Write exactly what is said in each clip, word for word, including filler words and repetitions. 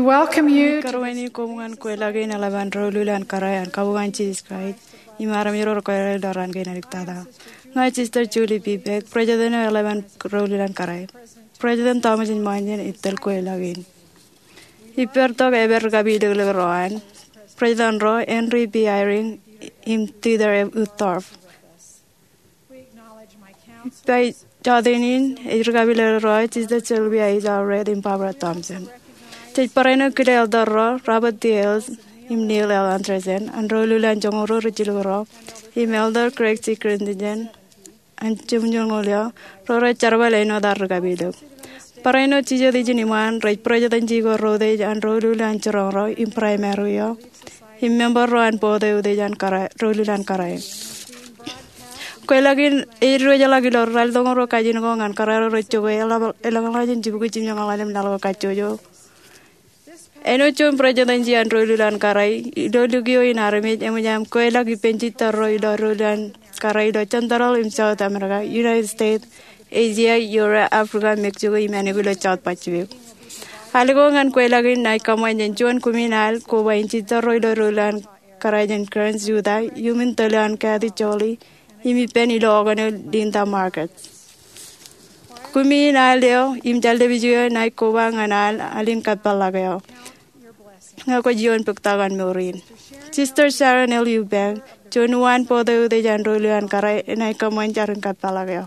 Welcome you to Karuwainene koṃ ñan kweilọk in eḷap an ro ilul an kōrā an kabuñ an Jisōs Kraist im armej ro rekwōjarjar ilo raan kein aliktata. Ña Sister Julie B. Beck, President eo eḷap an ro ilul an kōrā. President Thomas S. Monson ej tōl kweilọk in. Ippān tok epād ri kapilōk ro an, President ro Henry B. Eyring im Dieter F. Uchtdorf. Ippa jọteen in ej ri kapilōk ro, Sister Sylvia H. Allred im Barbara Thompson. Jej barāinwōt kile elder ro Robert D. Hales im Neil L. Andersen an ro ilul an joñoul ruo rijilōk ro, im Elder Craig C. Christensen an jemñoul ñoul eo, ro rej jerbal āinwōt ad ri kapilōk. Barāinwōt jijet ijin iṃaan rej president ko ro utiej an ro ilul an jiroñ ro im primary eo, im member ro an board eo utiej an kōrā, ro ilul an kōrā. Kweilọk in ej diwōjḷọk ilo ralitōñoul ruo kajin ko ñan kōrā ro rej jokwe eḷaññe ḷọk jān jibukwi jimjuonñoul ḷalem laḷ ko kajjojo. Āinwōt juon presidency an ro ilul an kōrā, ilo lukio in armej eṃōj aṃ kweilọk ippān jitōl ro ilo ro ilul an kōrā ilo Central im South America, United States, Asia, Europe, Africa, Mexico, im ānbwin ilo South Pacific. Al ko ñan kweilọk in ṇae kōṃṃan jān juon kumi in al koba in jitōl ro ilo ro ilul an kōrā jān Karen, Utah, iuṃwin tōl eo an Kathy Jolie, im ippān ilo okōn eo Linda Markets. Kumi in al eo im jeḷā dāpij eo ṇae koba ñan al, al in kōpeḷḷọk eo. Ñe kwōj iioon bōktok an mour in. Sister Sharon L. Eubank, juon uwaan board eo utiej an ro ilul an kōrā, enaaj kōṃṃan jar in kōpeḷḷọk eo.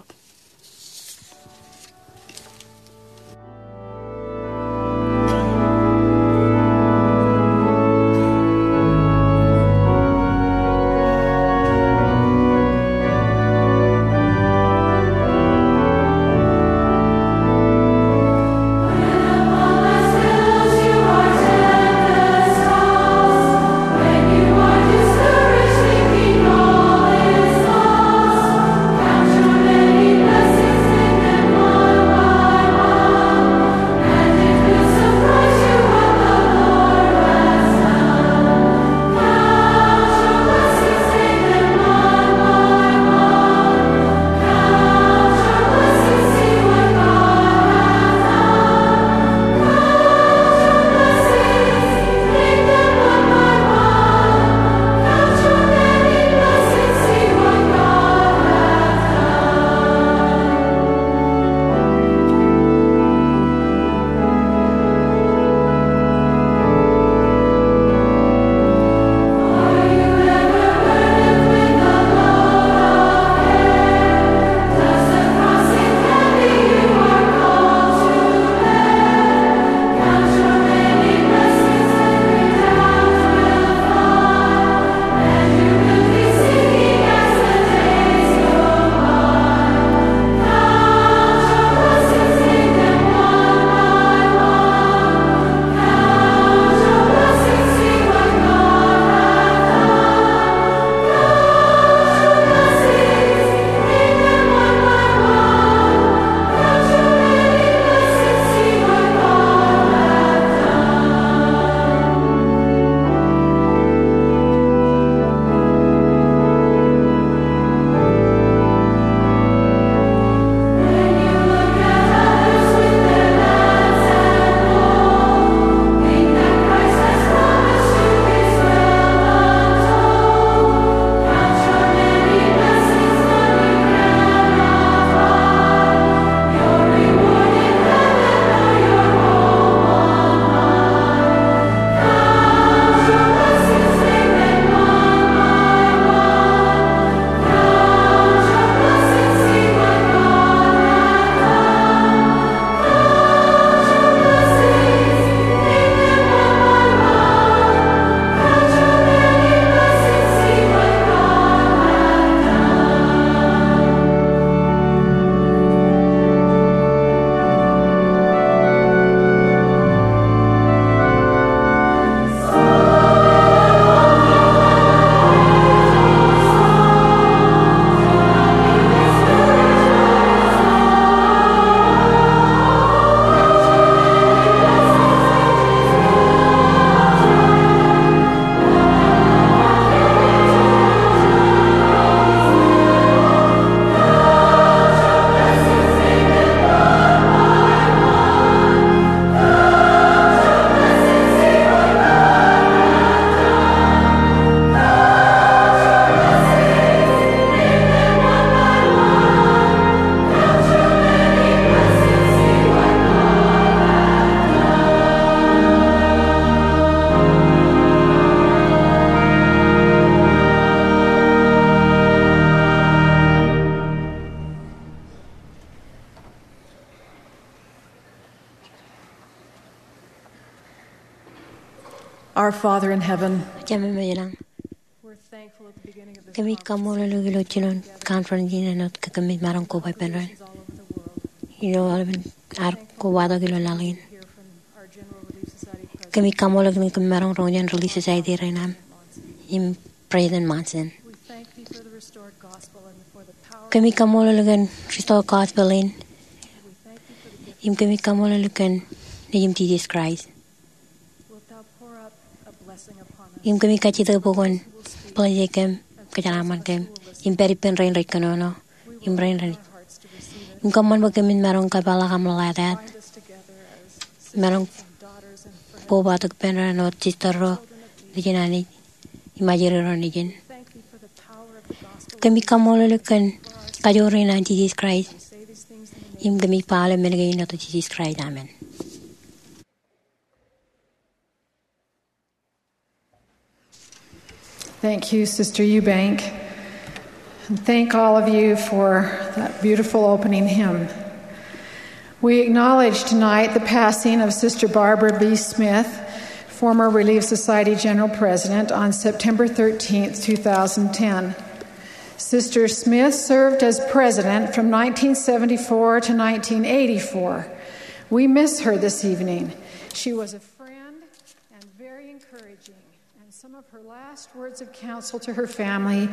Our Father in heaven, Jemem eo ilañ, we're thankful at the beginning of this kōmij kaṃṃoolol eok ilo jilon conference in āinwōt ke kōmij maroñ koba ippān doon ilo aolepen ad kobatok ilo laḷ in. Kōmij kaṃṃoolol eok kōmij maroñ roñ jān Relief Society rein aṃ im President Monson. Kōmij kaṃṃoolol eok kōn restored gospel in im kōmij kaṃṃoolol eok kōn Nejiṃ Jisōs Kraist. Im kōmij kajjitōk bwe kwōn bless kōm, kōjeraaṃṃan kōm im pād ippān rein rej kōnono im rein rej, im kōṃṃan bwe kōmij maroñ kōpeḷḷọk aṃ ḷōḷātāt, maroñ kobatok ippān doon āinwōt sister ro nejin Anij im ajri ro nejin. Kōmij kaṃṃoolol eok kōn kajoor in an Jisōs Kraist im kōmij ba aolep men kein ilo etan Jisōs Kraist, amen. Thank you, Sister Eubank. And thank all of you for that beautiful opening hymn. We acknowledge tonight the passing of Sister Barbara B. Smith, former Relief Society General President, on September thirteenth, two thousand ten. Sister Smith served as president from nineteen seventy-four to nineteen eighty-four. We miss her this evening. She was a friend and very encouraging, and some of her last words of counsel to her family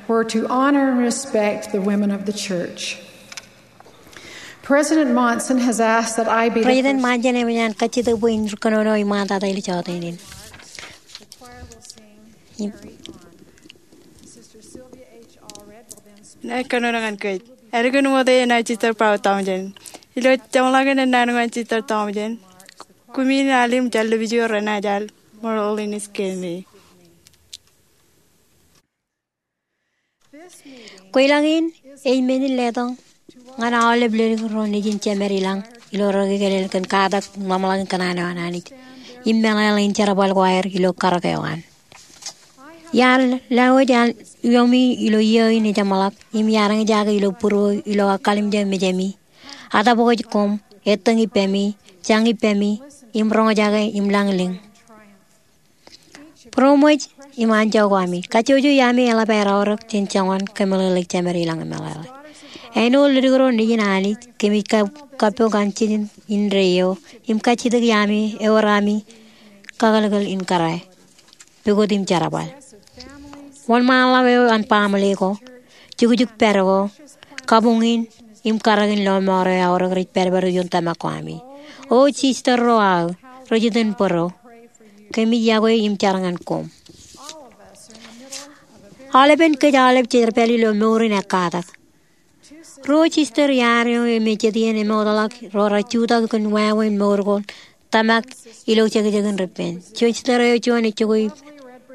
were to honor and respect the women of the church. President Monson has asked that I be the President first Monson eṃōj an kajjitōk bwe in kōnono iṃaantata ilo jota in. Ij kōnono ñan kōj. Ālikin ṃoot eṇ ej Sister Paul Townsend. Ilo jeṃḷọkin ennaan eo an Sister Townsend, kumi in al im jān lepiju renaaj al ṃōḷ ḷọk in iskeme. Kweilọk in ej men in letok ñan aolep ledik ro nejin jemed ilañ ilo rekikōlel kōn katak ḷōmṇak in kōṇaan eo an Anij im meḷeḷe in jerbal ko aer ilo karōk eo an. Iar lewōj an iiomi ilo iiō in ejeṃḷọk im iar eñjake ilo būruō ilo kallimjek mejemi, atōpwōj koṃ, ettōñ ippemi, jañ ippemi, im roñjake im lañlōñ. Būroṃōj im anjọ ko ami. Kajjojo iaami eḷap aer aorōk jān joñan kōmeḷeḷeik jemed ilañ im meḷeḷe. Āinwōt ledik ro nejin Anij, kōmij kappok an jejin indeeo im kajjitōk iaami ewōr ami kakōlkōl in kōrā, pukot im jerbal. Wōnṃaanḷọk eo an baaṃle ko, jukjuk pād ko, kabuñ in im karōk in lọmọọr eo aorōk rej pād bwe rej iioon tōmak ko ami. O sister ro aō, rej itōn bōro, kōmij yokwe im jar ñan koṃ. Aolepen kōj aolep jej pād ilo mour in ekkatak. Ruo sister iaar eo im jet iien emootḷọk ro rej jutak kōn wāween mour ko tōmak ilo jekjekin reppen. Juon sister eo juon ej jokwe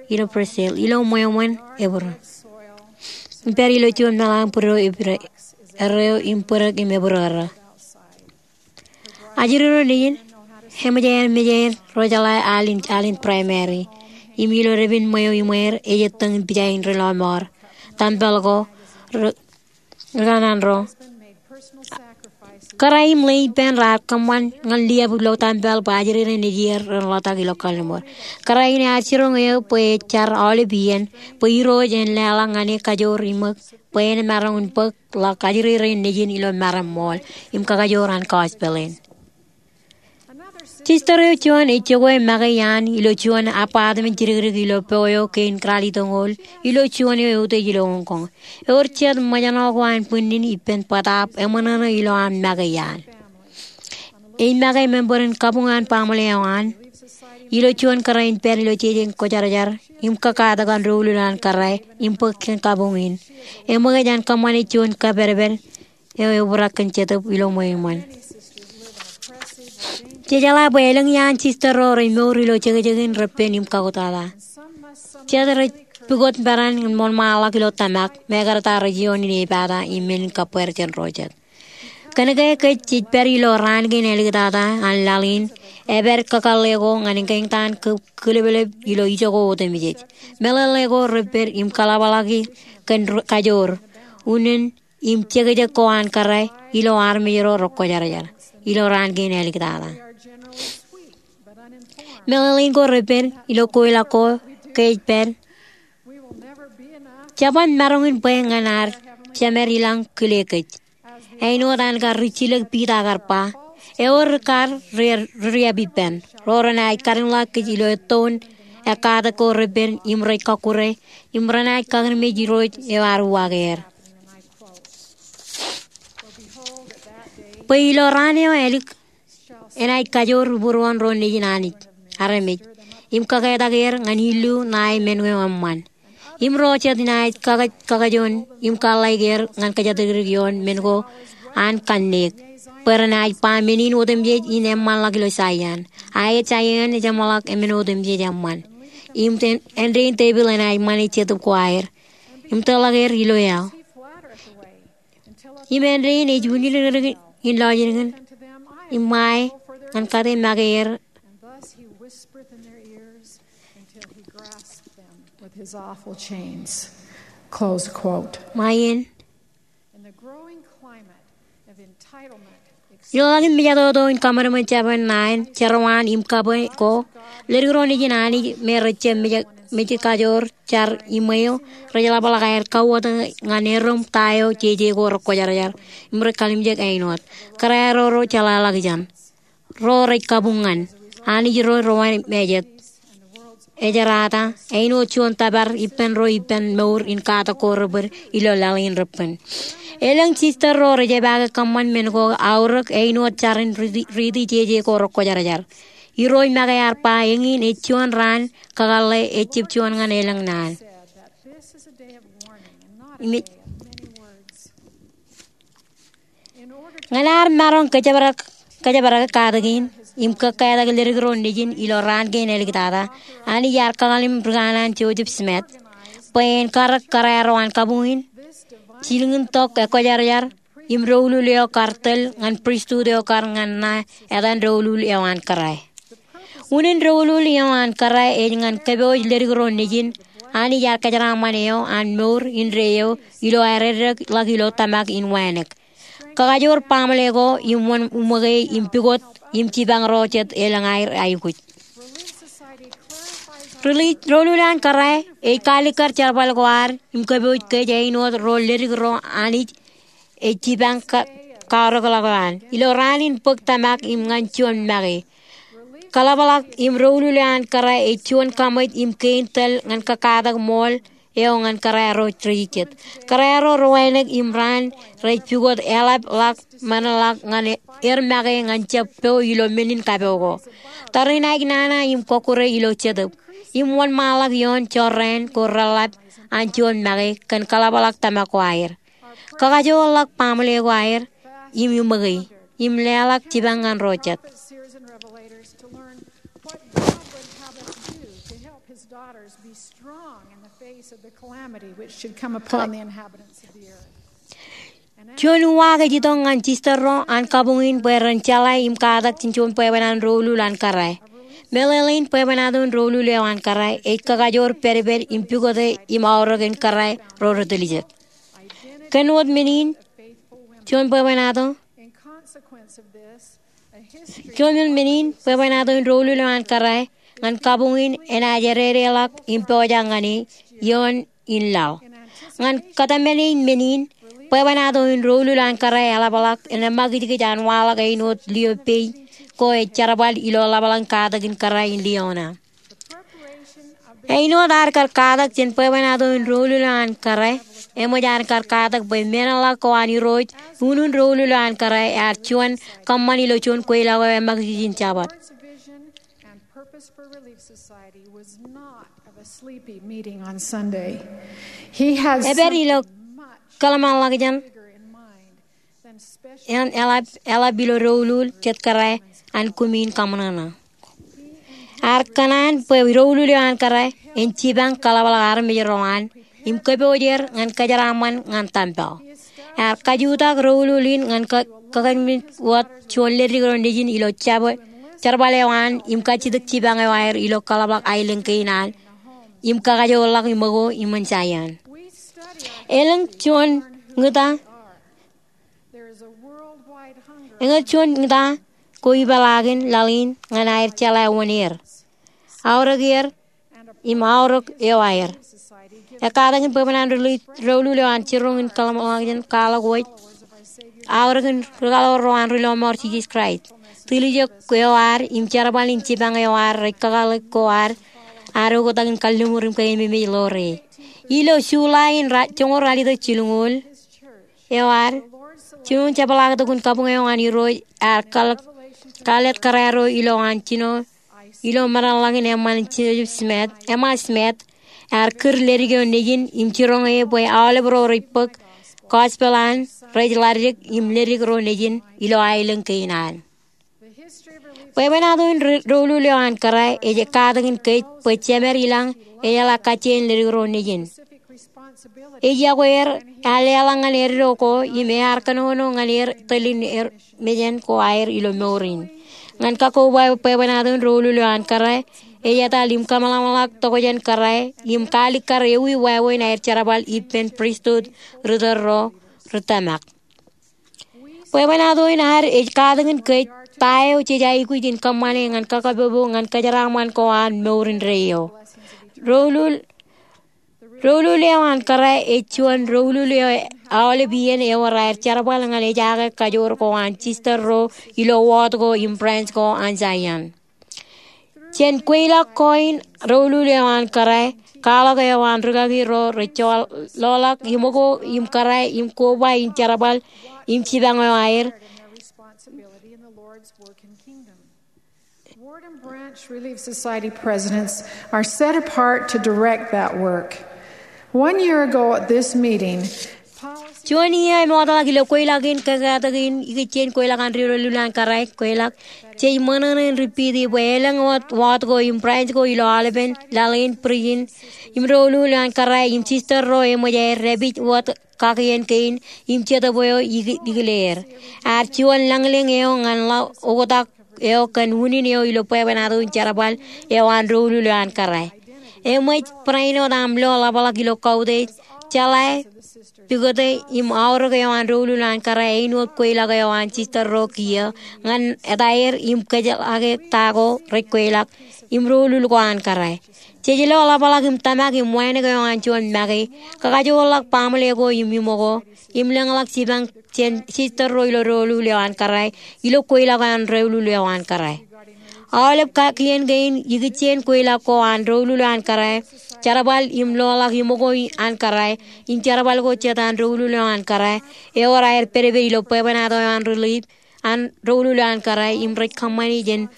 ilo Brazil, ilo ṃweo ṃōn ebūrō. Im pād ilo juon meḷan bōd eo ebūrō erreo im bōdōk im ebūrō erreo. Ajri ro nejin, eṃōj aer mejeer ro jeḷā al in, al in primary. Im ilo dāpin ṃweo iṃweer, ej ettōñ in pija in ri lọmọọr, tempel ko, ri, ri kōṇaan ro. Kōrā im ḷe ippān raar kōṃṃan ñan liab ilo tempel bwe ajri rein nejier ren ḷotak ilo kalliṃur. Kōrā in ear jiroñ eō bwe ej jar aolep iien bwe Irooj en leḷọk ñan e kajoor iṃōk bwe en maroñ in bōk ḷọk ajri rein nejin ilo maroñ ṃool im kakajoor an gospel in. Sister eo juon ej jokwe make iaan ilo juon apartment jidikdik ilo po eo kein ralitōñoul ilo juon eo eutiej ilo Hong Kong. Ewōr jet ṃōjṇọ ko an bwinnin ippān bōtaab eṃōṇōṇō ilo an make iaan. Ej make member in kabuñ an baaṃle eo an ilo juon kōrā in pād ilo jeje in kwōjarjar im kakatak an doulul an kōrā im bōk kōn kabuñ in. Eṃōkaj an kōṃṃane juon kapedped eo ebrak kōn Jetōb ilo ṃweo iṃōn. Jejeḷā bwe elōñ iaan sister ro rej mour ilo jekjekin reppen im kautiej. Jet rej pukot bōran im wōnṃaanḷọk ilo tōmak, mekarta rej iioon in epata im men in kabweer jān ro jet. Kōnke kōj jej pād ilo raan kein āliktata an laḷ in, epād kakōḷḷe ko ñan eñtaan kō, kōleplep ilo ijoko otemjej. Meḷeḷe ko repped im kaḷapḷọki kōn ro, kajoor, unin im jekjek ko an kōrā ilo armej ro rekwōjarjar ilo raan kein āliktata. Meḷeḷein ko repen ilo kweilọk ko ke ej pād, jeban maroñ in bwe ñan ad Jemed ilañ kile kōj. Āinwōt an kar rijjilōk Piter kar ba, ewōr rikaad ri riab ippān ro renaaj kadeḷọk kōj ilo ettoon ekkatak ko repen im rej kọkkure im renaaj kakememej Irooj eo ear uwaak er. Bwe ilo raan eo ālik enaaj kajoor būruon ro nejin Anij armej im kaketak er ñan illu ṇae men ko eṃṃan. Im ro jet enaaj kakajoon im kaḷḷaik er ñan kōjatdikdik ioon men ko an kanniōk bwe renaaj ba men in otemjej in eṃṃanḷọk ilo Saion. A ej Saion ejeṃḷọk men otemjej eṃṃan. Im āindein tepil enaaj ṃane Jetōb ko aer im tōḷọk er ilo eaḷ. Im āindein ej unjilōñlōñ in lọjilñin im ṃae ñan kate make er. And thus he whispered in their ears until he grasped them with his awful chains. Close quote. Ṃae in. In the growing climate of entitlement, ilo ḷak im mejatoto in kaṃadṃōd jabōn ṇae, jerọwiwi im kabwe ko, ledik ro nejin Anij me rej jab mej kajoor jar iṃweo rej ḷapḷọk aer kauwōt ñan erom ta eo jeje ko rekwōjarjar im rej kalimjek āinwōt kōrā ro rej jeḷāḷọkjeṇ. Ro rej kabuñ ñan Anij ro rej wānōk mejet. Ejerata āinwōt juon tōpar ippān ro ippān mour in katak ko rebōd ilo laḷ in repen. Elōñ sister ro rej epaake kōṃṃan men ko aorōk āinwōt jar in riiti jeje ko rekwōjarjar. Irooj make ear ba eñin ej juon raan kakōḷḷe ejab juon ñan elōñ naan. Ñan ad maroñ kōjparok katakin im kōkkatak ledik ro nejin ilo raan kein āliktata, Anij ear kakōḷḷe ri kanaan Joseph Smith bwe en karōk kōrā ro an kabuñ in, jilñin tok ekwōjarjar im doulul eo kar tōl ñan pristut eo kar ñan ṇa etan doulul eo an kōrā. Unin doulul eo an kōrā ej ñan kōpooj ledik ro nejin Anij ear kōjeraaṃṃan eo an mour indeeo ilo aer eddekḷọk ilo tōmak in wānōk. Kakajoor baaṃle ko im wōn uṃōke im pukot im jipañ ro jet elōñ aer aikuj. Doulul an kōrā ej kaalikkar jerbal ko ad im kōpooj kōj āinwōt ro ledik ro Anij ej jipañ kaorōkḷọk eo an ilo raan in bōk tōmak im ñan juon make. Kaḷapḷọk im doulul eo an kōrā ej juon kaṃōj im kein tōl ñan kōkkatak ṃool eo ñan kōrā ro rej jet. Kōrā ro rej wānōk im raan rej pukot eḷap ḷọk men ḷọk ñan er make ñan jab po ilo men in kapo ko. Tariṇaik nana im kọkkure ilo Jetōb im wōnṃaanḷọk ioon jorrāān ko reḷḷap an juon make kōn kaḷapḷọk tōmak ko aer. Kakajoorḷọk baaṃle ko aer im iṃōke im leḷọk jipañ ñan ro jet. Juon uwaak ej itok ñan sister ro an kabuñ in bwe ren jeḷā im katak jān juon bwebwenato in doulul an kōrā. Meḷeḷein bwebwenato in doulul eo an kōrā ej kakajoor pedped im pukote im aorōk in kōrā ro rej tiljek. Kōn wōt men in, juon bwebwenato Kōn men in, bwebwenato in doulul eo an kōrā ñan kabuñ in enaaj ededeḷọk im pojak ñan e ioon in laḷ. Ñan kōtmāne in men in, bwebwenato in doulul an kōrā eḷapḷọk en eṃakijkij an waḷọk āinwōt lio pei ko ej jerbal ilo ḷapḷọk in katak in kōrā in lio ṇa. Āinwōt ad kar katak jān bwebwenato in doulul eo an kōrā, eṃōj ad kar katak bwe meḷeḷe ko an Irooj, unin doulul eo an kōrā ear juon kōṃṃan ilo juon kweilọk eo eṃakijkij in Jabōt. Epād ilo kōḷmānḷọkjeṇ eḷap, eḷap ilo doulul jet kōrā an kumi in kaṃōṇōṇō. Ear kōṇaan bwe doulul eo an kōrā en jipañ kaḷapḷọk armej ro an im kōpooj er ñan kōjeraaṃṃan ñan tempel. Ear kajutak doulul in ñan kakememej wōt juon leddik ro nejin ilo jerbal eo an im kajjitōk jipañ eo aer ilo kaḷapḷọk aelōñ kein an im kakajoorḷọk iṃōko iṃōn Saion. Elōñ juon ñūta Eñin juon ñūta ko ipeḷaakin laḷ in ñan aer jeḷā wōn er. aorōk er im aorōk eo aer. Ekkatak in bwebwenato in Relief, doulul eo an jiroñ in kōḷmānḷọkjeṇ kwaḷọk wōj, aorōk in ri kaḷoor ro an ri lọmọọr Jisōs Kraist, tiljek eo ad im jerbal in jipañ eo ad rej kakōḷḷe ko ad, ad oktak in kalliṃur im keememej ḷoore. Ilo July in ra-, joñoul ralitōk jilñuul, eo ad, jinoin jepḷaaktok in kabuñ eo an Irooj ear kal-, kalōt kōrā ro ilo an jino ilo meḷeḷein Emma Joseph Smith, Emma Smith, ear kūr ledik eo nejin im jiroñ e bwe aolep ro rej bōk gospel an rej ḷaddik im ledik ro nejin ilo aelōñ kein an. Bwebwenato in ri-, doulul eo an kōrā ej ekkatak in kōj bwe jemed ilañ ejeḷā kajjien ledik ro nejin. Ej yokwe er, ear leḷọk ñan eddo ko im ear kōnono ñan er tōl in er mejān ko aer ilo mour in. Ñan kakkobaba bwebwenato in doulul eo an kōrā, ej etal im kōmeḷeḷeḷọk tokjān kōrā im kaalikkar ewi wāween aer jerbal ippān pristut ri tōl ro ri tōmak. Bwebwenato in ad ej katak in kōj ta eo jej aikuj in kōṃṃane ñan kakapoopo ñan kōjeraaṃṃan ko an mour indeeo. Doulul, doulul eo an kōrā ej juon doulul eo aolep iien ewōr aer jerbal ñan ejaake kajoor ko an sister ro ilo wōt ko im branch ko an Zion. Jān kweilọk ko in doulul eo an kōrā, kwaḷọk eo an rūkaki ro rej joḷọk iṃōko im kōrā im koba in jerbal im jipañ eo aer. Ward and branch Relief Society presidents are set apart to direct that work. One year ago at this meeting, Juon iiō emootḷọk ilo kweilọk in, kōkkatak in ikijjien kweilọk an ri doulul eo an kōrā, kweilọk, jej ṃōṇōṇō in repeat e bwe elōñ wōt, wōt ko im branch ko ilo aolepen laḷ in, bridge in, im doulul eo an kōrā im sister ro eṃōj aer dāpij wōt kakien kein im jetōb eo ikile er. Ear juon lañlōñ eo ñan ḷọk oktak eo kōn unin eo ilo bwebwenato in jerbal eo an doulul eo an kōrā. Eṃōj barāinwōt aṃ lo ḷapḷọk ilo kautiej, jeḷā, pukot im aorōk eo an doulul eo an kōrā āinwōt kweilọk eo an sister ro kiiō ñan etaer im kōjeḷā ke ta ko rej kweilọk im doulul ko an kōrā. Jej lo ḷapḷọk im tōmak im wānōk eo an juon make, kakajoorḷọk baaṃle ko im iṃōko, im lōñḷọk jipañ jān sister ro ilo doulul eo an kōrā ilo kweilọk eo an doulul eo an kōrā. Aolep kakien kein ikijjien kweilọk ko an doulul eo an kōrā, jerbal im loḷọk iṃōko an kōrā, im jerbal ko jet an doulul eo an kōrā, ewōr aer pedped ilo bwebwenato eo an Relief an doulul eo an kōrā im rej kōṃṃani jān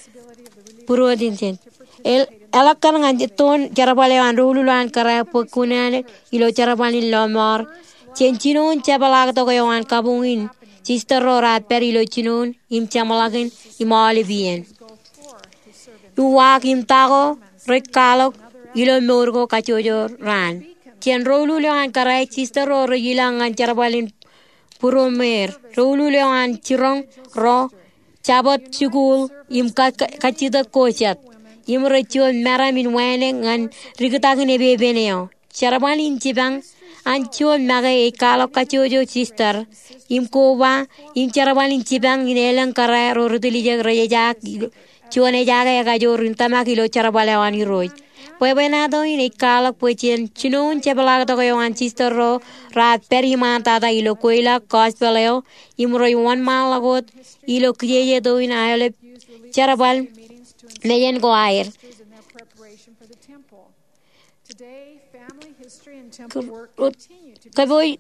būruod in jān. El, eḷak kar ñan ettoon jerbal eo an doulul eo an kōrā bwe kuṇaan ilo jerbal in lọmọọr. Jān jinoin jepḷaaktok eo an kabuñ in, sister ro raar pād ilo jinoin im jeṃḷọkin im aolep iien. Uwaak im ta ko rej kwaḷọk ilo mour ko kajjojo raan. Jān doulul eo an kōrā, sister ro rej ilañ ñan jerbal in būroṃōr. Doulul eo an jiroñ ro jabōt jikuuḷ im ka, ka, kajjitōk ko jet. Im rej juon meram in wānōk ñan rikitakin epepen eo. Jerbal in jipañ an juon make ej kwaḷọk kajjojo sister im koba im jerbal in jipañ in elōñ kōrā ro ri tiljek rej ejaak juon ejaake ekajoor in tōmak ilo jerbal eo an Irooj. Bwebwenato in ej kwaḷọk bwe jān jinoin jepḷaaktok eo an sister ro raar pād iṃaantata ilo kweilọk gospel eo im rej wōnṃaanḷọk wōt ilo kijeje to in aolep jerbal mejān ko aer. Kōpooje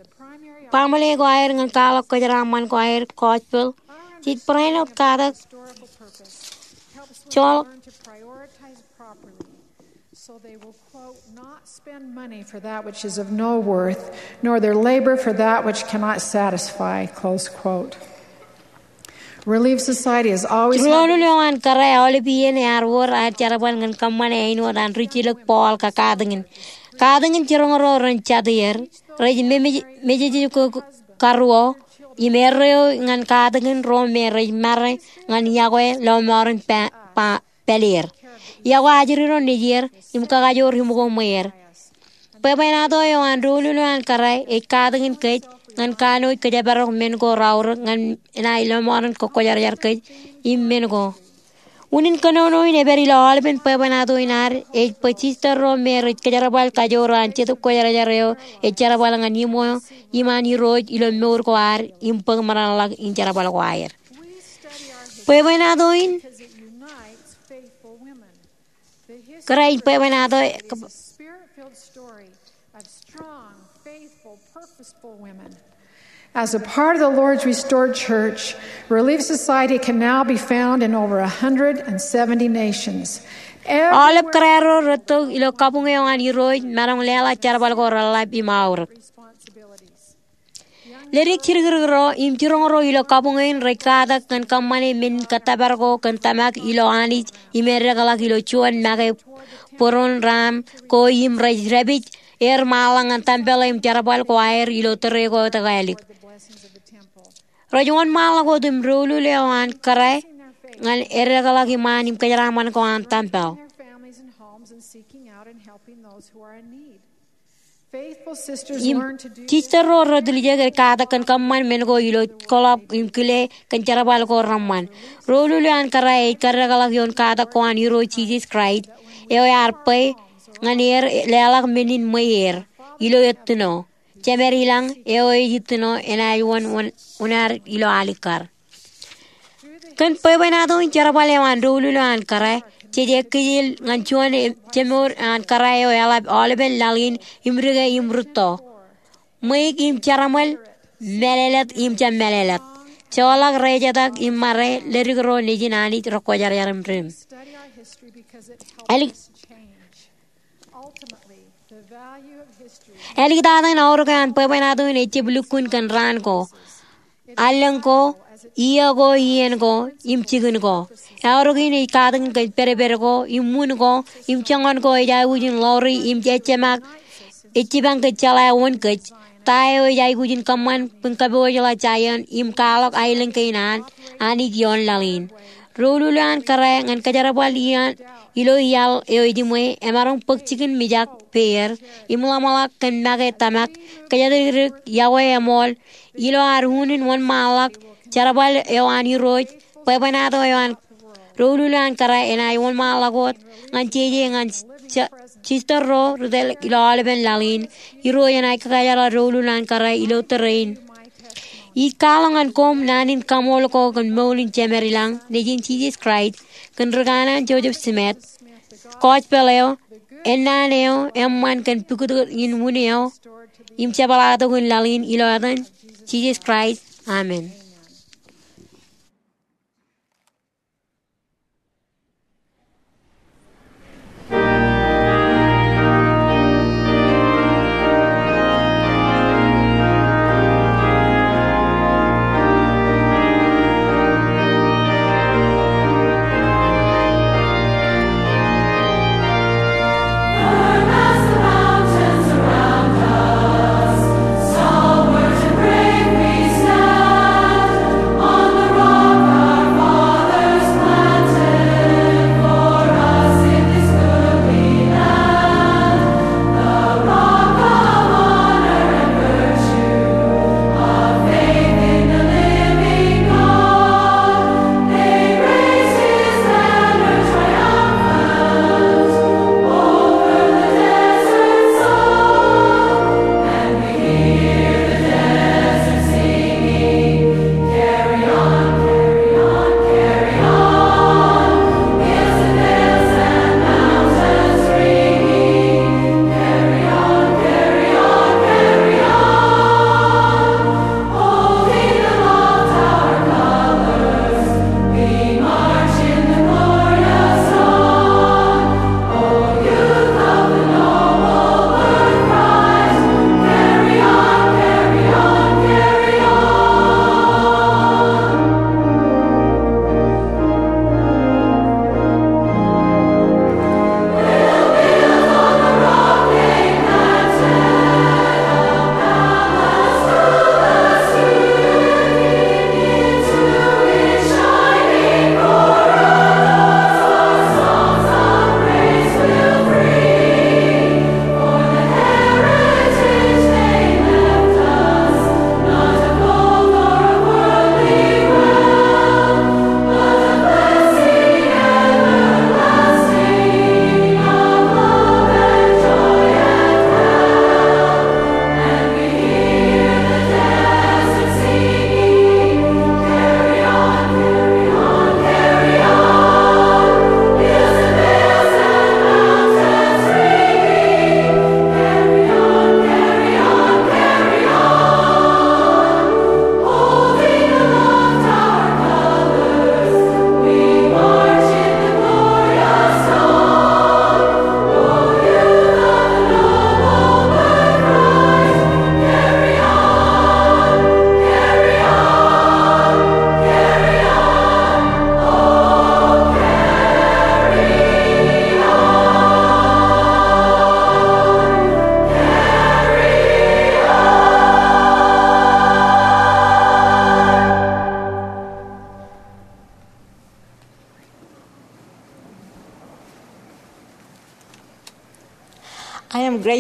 baaṃle ko aer ñan kwaḷọk kōjeraaṃṃan ko aer gospel. Jej barāinwōt katak joḷọk. So they will, quote, not spend money for that which is of no worth, nor their labor for that which cannot satisfy, close quote. Relief Society is always Ri doulul eo an kōrā aolep iien ear wōr aer jerbal ñan kōṃṃane āinwōt an rijilōk ball kōn katakin. Katakin jiroñ ro ren jatū er, rej mej, mejejkuk karuo, im erreo ñan katakin ro me rej mare ñan yokwe lọmọọren pa, pa, pāleer. Yokwe ajri ro nejier, im kakajoor iṃōko ṃweer. Bwebwenato eo an doulul eo an kōrā ej katakin kōj ñan kanooj kōjparok men ko raorōk ñan enaaj lọmọọren kōkkojarjar kōj im men ko. Unin kōnono in ej pād ilo aolepen bwebwenato in ad ej bwe jister ro me rej kōjerbal kajoor an Jetōb Kwōjarjar eo ej jerbal ñan iṃō iṃaan Irooj ilo mour ko ad im bōk ṃōṇōṇōḷọk in jerbal ko aer. Bwebwenato in, kōrā in bwebwenato, As a part of the Lord's restored church, Relief Society can now be found in over a hundred and seventy nations. Aolep kōrā ro rej tok ilo kabuñ eo an Irooj, maroñ leḷọk jerbal ko reḷḷap im aorōk. Ledik jidikdik ro im jiroñ ro ilo kabuñ in rej katak kōn kōṃṃane men in kōttōpar ko kōn tōmak ilo Anij im eddekḷọk ilo juon make būruon ram ko im rej dāpij er ṃaanḷọk ñan tempel im jerbal ko aer ilo tōre ko etokālik. Rej wōnṃaanḷọk wōt im doulul eo an kōrā ñan eddekḷọk iṃaan im kōjeraṃṃan ko an tempel. Im jister ro retiljek ej katak kōn kōṃṃan men ko ilo koḷap im kile kōn jerbal ko reṃṃan. Doulul eo an kōrā ej kōddekḷọk ioon katak ko an Irooj Jisōs Kraist eo ear bwe ñan er leḷọk men in ṃweier ilo ettino. Jemed ilañ eo ej ettino enaaj wōn, wōn, wōn ad ilo alikkar. Kōn bwebwenato in jerbal eo an doulul eo an kōrā, jej ekkejel ñan juon e-, jemour eo an kōrā eo eḷap aolepen laḷ in im dike im rūtto. Ṃweiuk im jeraṃōl, mālōtlōt im jab mālōtlōt. Joḷọk rejetak im ṃare, ledik ro nejin Anij rekwōjarjar im dim. Ālik Āliktata in aorōk eo an bwebwenato in ejjab lukkuun kōn raan ko, allōñ ko, iiō ko, iien ko, im jikin ko. Aorōk in ej katakin kōn pedped ko, im wūn ko, im joñan ko ej aikuj in ḷoori, im ejjeṃaak, ej jipañ kōj jeḷā wōn kōj. Ta eo ej aikuj in kōṃṃan bwe in kapoojoḷā jaian im kwaḷọk aelōñ kein an Anij ioon laḷ in. Doulul eo an kōrā ñan kōjerbal iaan ilo iaḷ eo ejiṃwe emaroñ bōk jikin mijak peier im ḷōmṇak kōn make tōmak kōjatdikdik yokwe eṃool ilo ad unin wōnṃaanḷọk jerbal eo an Irooj, bwebwenato eo an doulul eo an kōrā enaaj wōnṃaanḷọk wōt ñan jeje ñan ja-, jister ro ri tōl ilo aolepen laḷ in. Irooj enaaj kakajeḷā doulul eo an kōrā ilo tōre in. Ij kwaḷọk ñan koṃ naan in kaṃool ko kōn mour in Jemed ilañ, Nejin Jisōs Kraist, kōn ri kanaan Joseph Smith, gospel eo, ennaan eo eṃṃan kōn pukot in wūn eo im jepḷaaktok in laḷ in, ilo etan Jisōs Kraist, amen.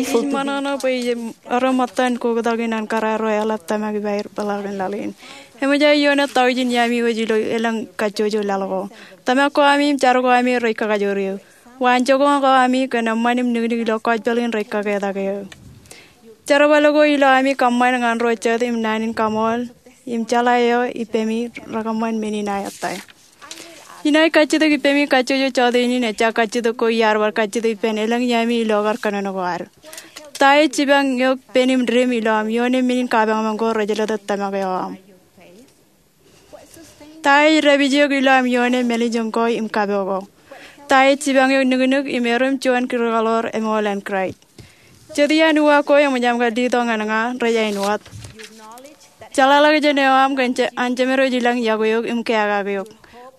Ij ṃōṇōṇō bwe ij ro ṃōttan kōktak in an kōrā ro eḷap tōmak ippāer peḷaakin laḷ in. Eṃōj aō ioone taujin iaami wōj ilo elōñ kajjojo laḷ ko. Tōmak ko ami im jar ko ami rej kakajoor eō. Waanjoñak ko ami kōn eṃṃan im niknik ilo gospel in rej kaketak eō. Jerbal ko ilo ami kōṃṃan ñan ro jet im naan in kaṃool im jeḷā eo ippemi rekōṃṃan men in aō ettā. Inaaj kajjitōk ippemi kajjojo jota in, ejja kajjitōk ko iar bar kajjitōk ippān elōñ iaami ilo kar kōnono ko ad. Ta ej jipañ eok pen im dim ilo aṃ ioone men in kapañpañ ko rej jelōt tōmak eo aṃ? Ta ej dāpij eok ilo aṃ ioone mālejjoñ ko im kapo ko? Ta ej jipañ eok niknik im erom juon kirkaḷoor eṃool an Kraist? Jet iaan uwaak ko eṃōj aṃ kar letok ñan ña rej āinwōt. Jeḷāḷọkjeṇ eo aṃ kōn an jemedwōj ilañ yokwe eok im keakake eok.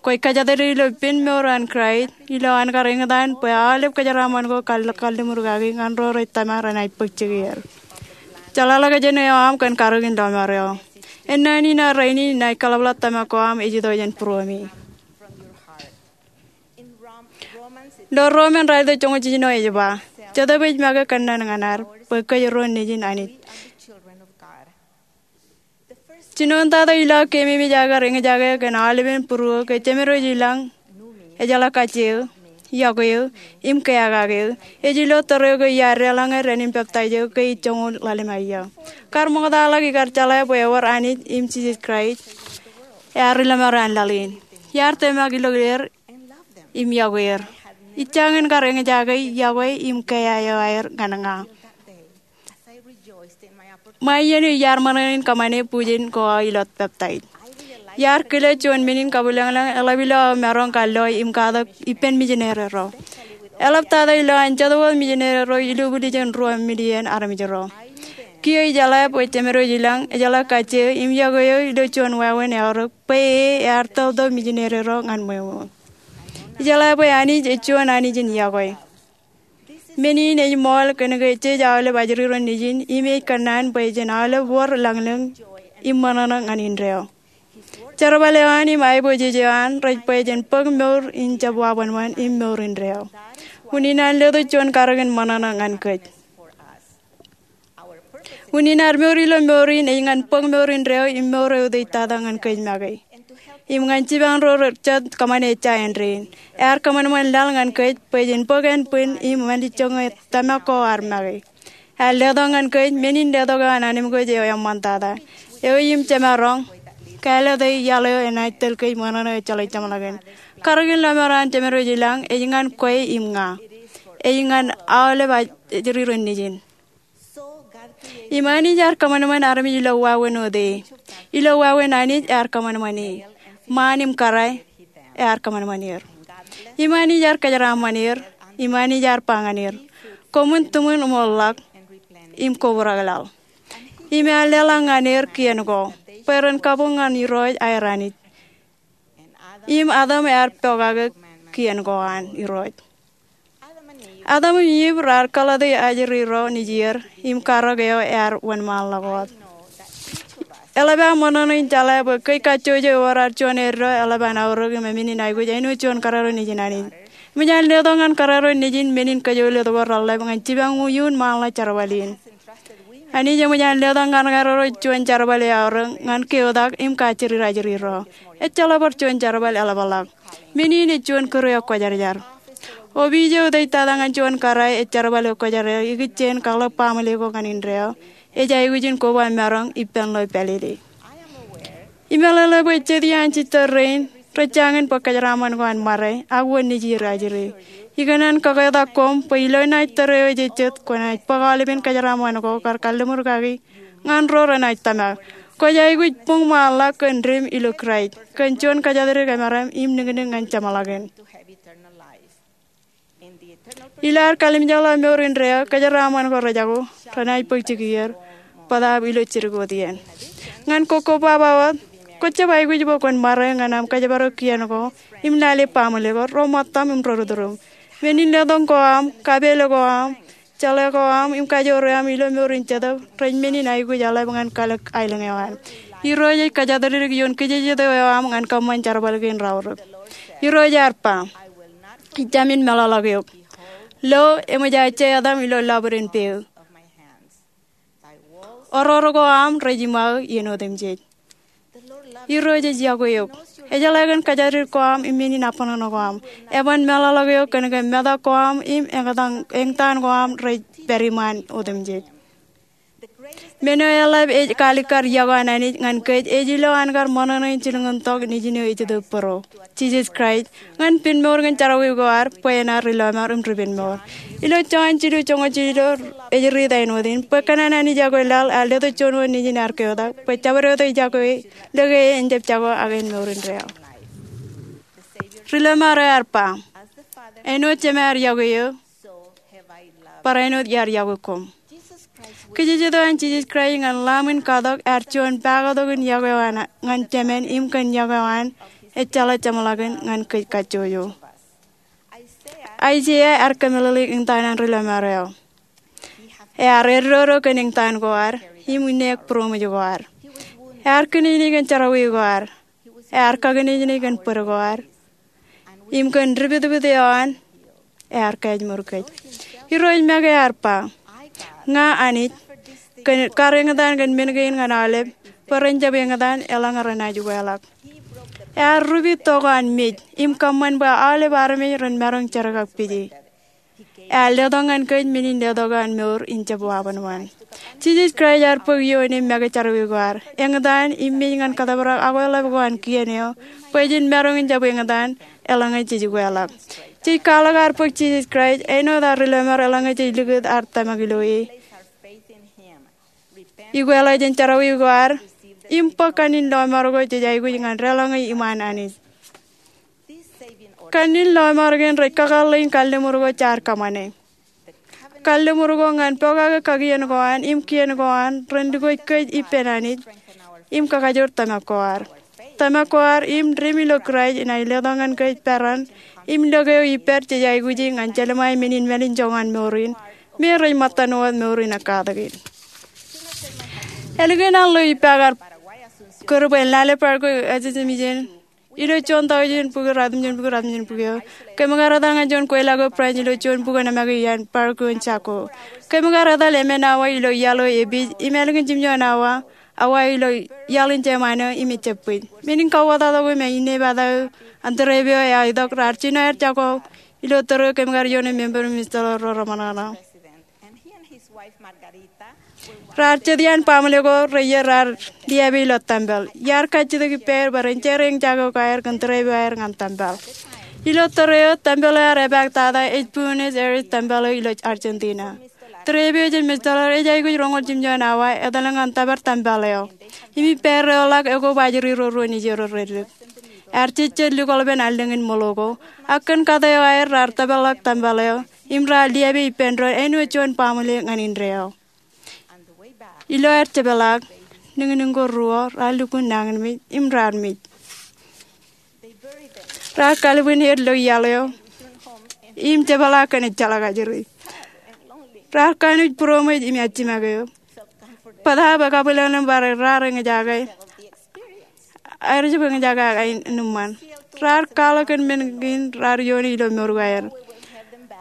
Kwōj kōjatdikdik ilo pen mour an Kraist ilo an kar eñtaan bwe aolep kōjeraaṃṃan ko kar kalliṃur kaki ñan ro rej tōmak renaaj bōk jikier. Jeḷāḷọkjeṇ eo aṃ kōn karōk in lọmọọr eo. Ennaan in ad rainin inaaj kaḷapḷọk tōmak ko aṃ ej itok jān būruemi. Ilo Rom raelōt joñoul jiljino ej ba, Jetōb ej make kōnnaan ñan ad bwe kōj ro nejin Anij. Jinoin tata ilo aō keememej aō kar eñjake kōn aolepen būruō ke jemedwōj ilañ, ejeḷā kajjitōk, yokwe eō, im keakake eō, ej ilo tōre ko iar deḷọñe dān in peptaij eo ke ej joñoul ḷalem aia. Kar ṃoktaḷọk ikar jeḷā bwe ewōr Anij im Jisōs Kraist ear lọmọọr an laḷ in. Iar tōmak ilo er im yokwe er. Ij jañin kar eñjake, yokwe im keaiaer ñan ña. Ṃae iien eo iar ṃōṇōṇō in kōṃṃane bujen ko aō ilo peptaij, iar kile juon men in kabwilōñlōñ eḷap ilo aō maroñ kar lo im katak ippān mijineri ro. Eḷaptata ilo an jet wōt mijineri ro ilubwil jān ruo million armej ro. Kiiō ij jeḷā bwe jemedwōj ilañ, ejeḷā kajjitōk im yokwe eo ilo juon wāween eaorōk bwe e ear tōptōp mijineri ro ñan ṃweo. Ij jeḷā bwe Anij ej juon Anij in yokwe. Men in ej ṃool kōn ke jej aolep ajri ro nejin im ej kōnnaan bwe jen aolep wōr lañlōñ im ṃōṇōṇō ñan indeeo. Jerbal eo an im aiboojoj eo an rej bwe jen bōk mour in jab waṃanṃan im mour indeeo. Unin an letok juon karōk in ṃōṇōṇō ñan kōj. Unin ad mour ilo mour in ej ñan bōk mour indeeo im mour eo utiej tata ñan kōj make. Im ñan jipañ ro jet kōṃṃane ejja āindein. Ear kōṃanṃan laḷ ñan kōj bwe jen bōk ānbwin im mālejjoñe tōmak ko ad make. Ear letok ñan kōj men in letok eo an anamkwōj eo eṃṃantata, eo im jemaroñ kāālōte iaḷ eo enaaj tōl kōj ṃōṇōṇō ejjeḷọk jeṃḷọkin. Karōk in lọmọọr an jemedwōj ilañ ej ñan kwe im ña. Ej ñan aolep ajri ro nejin. Im Anij ear kōṃanṃan armej ilo wāween ote. Ilo wāween Anij ear kōṃanṃan e. Ṃaan im kōrā ear kōṃanṃan er. Im Anij ear kōjeraaṃṃan er. Im Anij ear ba ñan er, Koṃwin tiṃwin im ḷọk im kobrak laḷ. Im ear leḷọk ñan er kien ko bwe ren kabuñ ñan Irooj aer Anij. Im Adam ear pokake kien ko an Irooj. Adam im Iv raar kōḷḷate ajri ro nejier im karōk eo ear wōnṃaanḷọk wōt. Eḷap aō ṃōṇōṇō in jeḷā bwe kōj kajjojo ewōr ad juon eddo eḷap an aorōk im emenin aikuj āinwōt juon kōrā ro nejin Anij. Eṃōj an letok ñan kōrā ro nejin men in kōjolōt ko reḷḷap ñan jipañ iuun ṃaanḷọk jerbal in. Anij eṃōj an letok ñan kōrā ro juon jerbal eo eaorōk ñan keotak im kajjidid ajri ro. Ejjeḷọk bar juon jerbal eḷapḷọk. Men in ej juon kūr eo kwōjarjar. Opiij eo utiej tata ñan juon kōrā ej jerbal eo kwōjarjar ikijjien kaḷọk baaṃle ko ñan indeeo ej aikuj in koba maroñ ippān ḷeo pālele. Imeḷeḷe bwe jet iaan jitōl rein rej jañin bōk kōjeraaṃṃan ko an ṃare ak wōn nejier ajri. Ikōṇaan kaketak koṃ bwe ilo naaj tōre eo ej jet kwōnaaj bōk aolepen kōjeraaṃṃan ko kar kalliṃur kaki ñan ro renaaj tōmak. Kwōj aikuj buñ ṃaanḷọk kōn dim ilo Kraist kōn juon kōjatdikdik emaroñ im niknik ñan jeṃḷọkin. Ilo ad kalimjekḷọk mour indeeo, kōjeraaṃṃan ko rejako renaaj bōk jikier bōtaab ilo jidik wōt iien. Ñan kokkobaba wōt, kwōjab aikuj bwe kwōn ṃare ñan aṃ kōjparok kien ko im lale baaṃle ko, ro ṃōttaṃ im ro ri-tūrūṃ. Men in letok ko aṃ, kapeel ko aṃ, jeḷā ko aṃ im kajoor eo aṃ ilo mour in Jetōb rej men in aikuj eḷap ñan kalōk aelōñ eo an. Irooj ej kōjatdikdik ioon kijejeto eo aṃ ñan kōṃṃan jerbal kein raorōk. Irooj ear ba, Ij jāmin meḷọkḷọk eok. Lo, eṃōj aō je etaṃ ilo lọpiden peiū. Oror ko aṃ rej iṃaō iien otemjej. Irooj ej yokwe eok. Ejeḷā kōn kōjatdikdik ko aṃ im men in abṇōṇō ko aṃ. Eban meḷọkḷọk eok kōn ke metak ko aṃ im eñtaan ko aṃ rej pād iṃaan otemjej. Men eo eḷap ej kaalikkar yokwe an Anij ñan kōj ej ilo an kar ṃōṇōṇō in jilkintok Nejin eo ejitōk bōro, Jisōs Kraist, ñan pen mour kōn jerọwiwi ko ad bwe en ad ri-lọmọọr im ri-penmour. Ilo Jon jilu joñoul jilu ej riit āinwōt in, bwe kōn an Anij yokwe laḷ ear letok juon wōt Nejin ear keotak, bwe jabdewōt eo ej yokwe e, lōke e en jab jako ak en mour indeeo. Ri-lọmọọr eo ear ba, āinwōt Jema ear yokwe eō, barāinwōt iar yokwe koṃ. Kijejet eo an Jisōs Kraist ñan Lamb in katak ear juon pakatok in yokwe eo an ñan Jemān im kōn yokwe eo an ejjeḷọk jeṃḷọkin ñan kōj kajjojo. Aiseia ear kōmeḷeḷeik eñtaan an ri-lọmọọr eo. Ear eddodo kōn eñtaan ko ad im inneek būroṃōj ko ad. Ear kinejnej kōn jerọwiwi ko ad. Ear kakinejnej kōn bōd ko ad. Im kōn dipitpit eo an, ear kaājmour kōj. Irooj make ear ba, ña Anij, kar eñtaan kōn men kein ñan aolep, bwe ren jab eñtaan eḷaññe renaaj ukeḷọk. Ear rup tok an mej im kōṃṃan bwe aolep armej ren maroñ jerkakpeje. Ear letok ñan kōj men in letok an mour in jab wabōnbōn. Jisōs Kraist ear bōk ioon im make jerọwiwi ko ad, eñtaan im mej ñan kōttōprak akweḷap ko an kien eo, bwe jen maroñ in jab eñtaan eḷaññe jej ukeḷọk. Jej kwaḷọk ad bōk Jisōs Kraist āinwōt ad ri-lọmọọr eḷaññe jej likūt ad tōmak ilo e, ukeḷọk jān jerọwiwi ko ad, im bōk kanniōk in lọmọọr ko jej aikuj ñan deḷọñe iṃaan Anij. Kanniōk in lọmọọr kein rej kakōḷḷe in kalliṃur ko jaar kōṃṃane. Kalliṃur ko ñan pokake kakien ko an im kien ko an ren lukkuun kōj ippān Anij im kakajoor tōmak ko ad. Tōmak ko ad im dim ilo Kraist enaaj letok ñan kōj peran im lōke eo ippād jej aikuji ñan jelṃae men in mālin joñan mour in, me rej ṃōttan wōt mour in ekkatak in. Ālikin an ḷo ippa kar kōr bwe en lale Paraguay Assumption Mission ilo juon taujin bukwi ratimjuon bukwi ratimjuon bukwi eo, kōm kar etal ñan juon kweilọk eo branch ilo juon bukwi nōṃake iaan Paraguay in Chaco. Kōm kar etal emān awa ilo iaḷ eo epij im ālikin jimjuon awa, awa ilo iaḷ in jeṃaan eo im ejjab bwij. Men in kauwōtatak eo im innepata eo an tūreep eo ear itok, raar jino aer jako ilo tōre eo kōm kar ioon member im Mister Ro reṃōṇōṇō. Raar jet iaan baaṃle ko reiiet raar liabe ilo tempel. Iar kajjitōk ippāer bwe ren jere eñjake ko aer kōn tūreep eo aer ñan tempel. Ilo tōre eo, tempel eo ear epaak tata ej Buenos Aires tempel eo ilo Argentina. Tūreep eo jān Mister Ro ej aikuj roñoul jimjuon awa etal ñan tōpar tempel eo. Im ippāerreoḷọk ekoba ajri ro ruo nejierro reddik. Ear jejjet lukwōḷpān allōñ in ṃōḷo ko, ak kōn kate eo aer raar tōpar ḷọk tempel eo im raar liabe ippān doon āinwōt juon baaṃle ñan indeeo. Ilo aer jepḷaak, niñniñ ko ruo raar lukkuun nañinmej im raar mej. Raar kalbwin er ilo iaḷ eo im jepḷaak kōn ejjeḷọk ajri. Raar kanooj būroṃōj im ājmoke eō. Bōtaab ekabwilōñlōñ bar raar eñjake, aer jab eñjake aenōṃṃan. Raar kwaḷọk kōn men kein raar ioone ilo mour ko aer.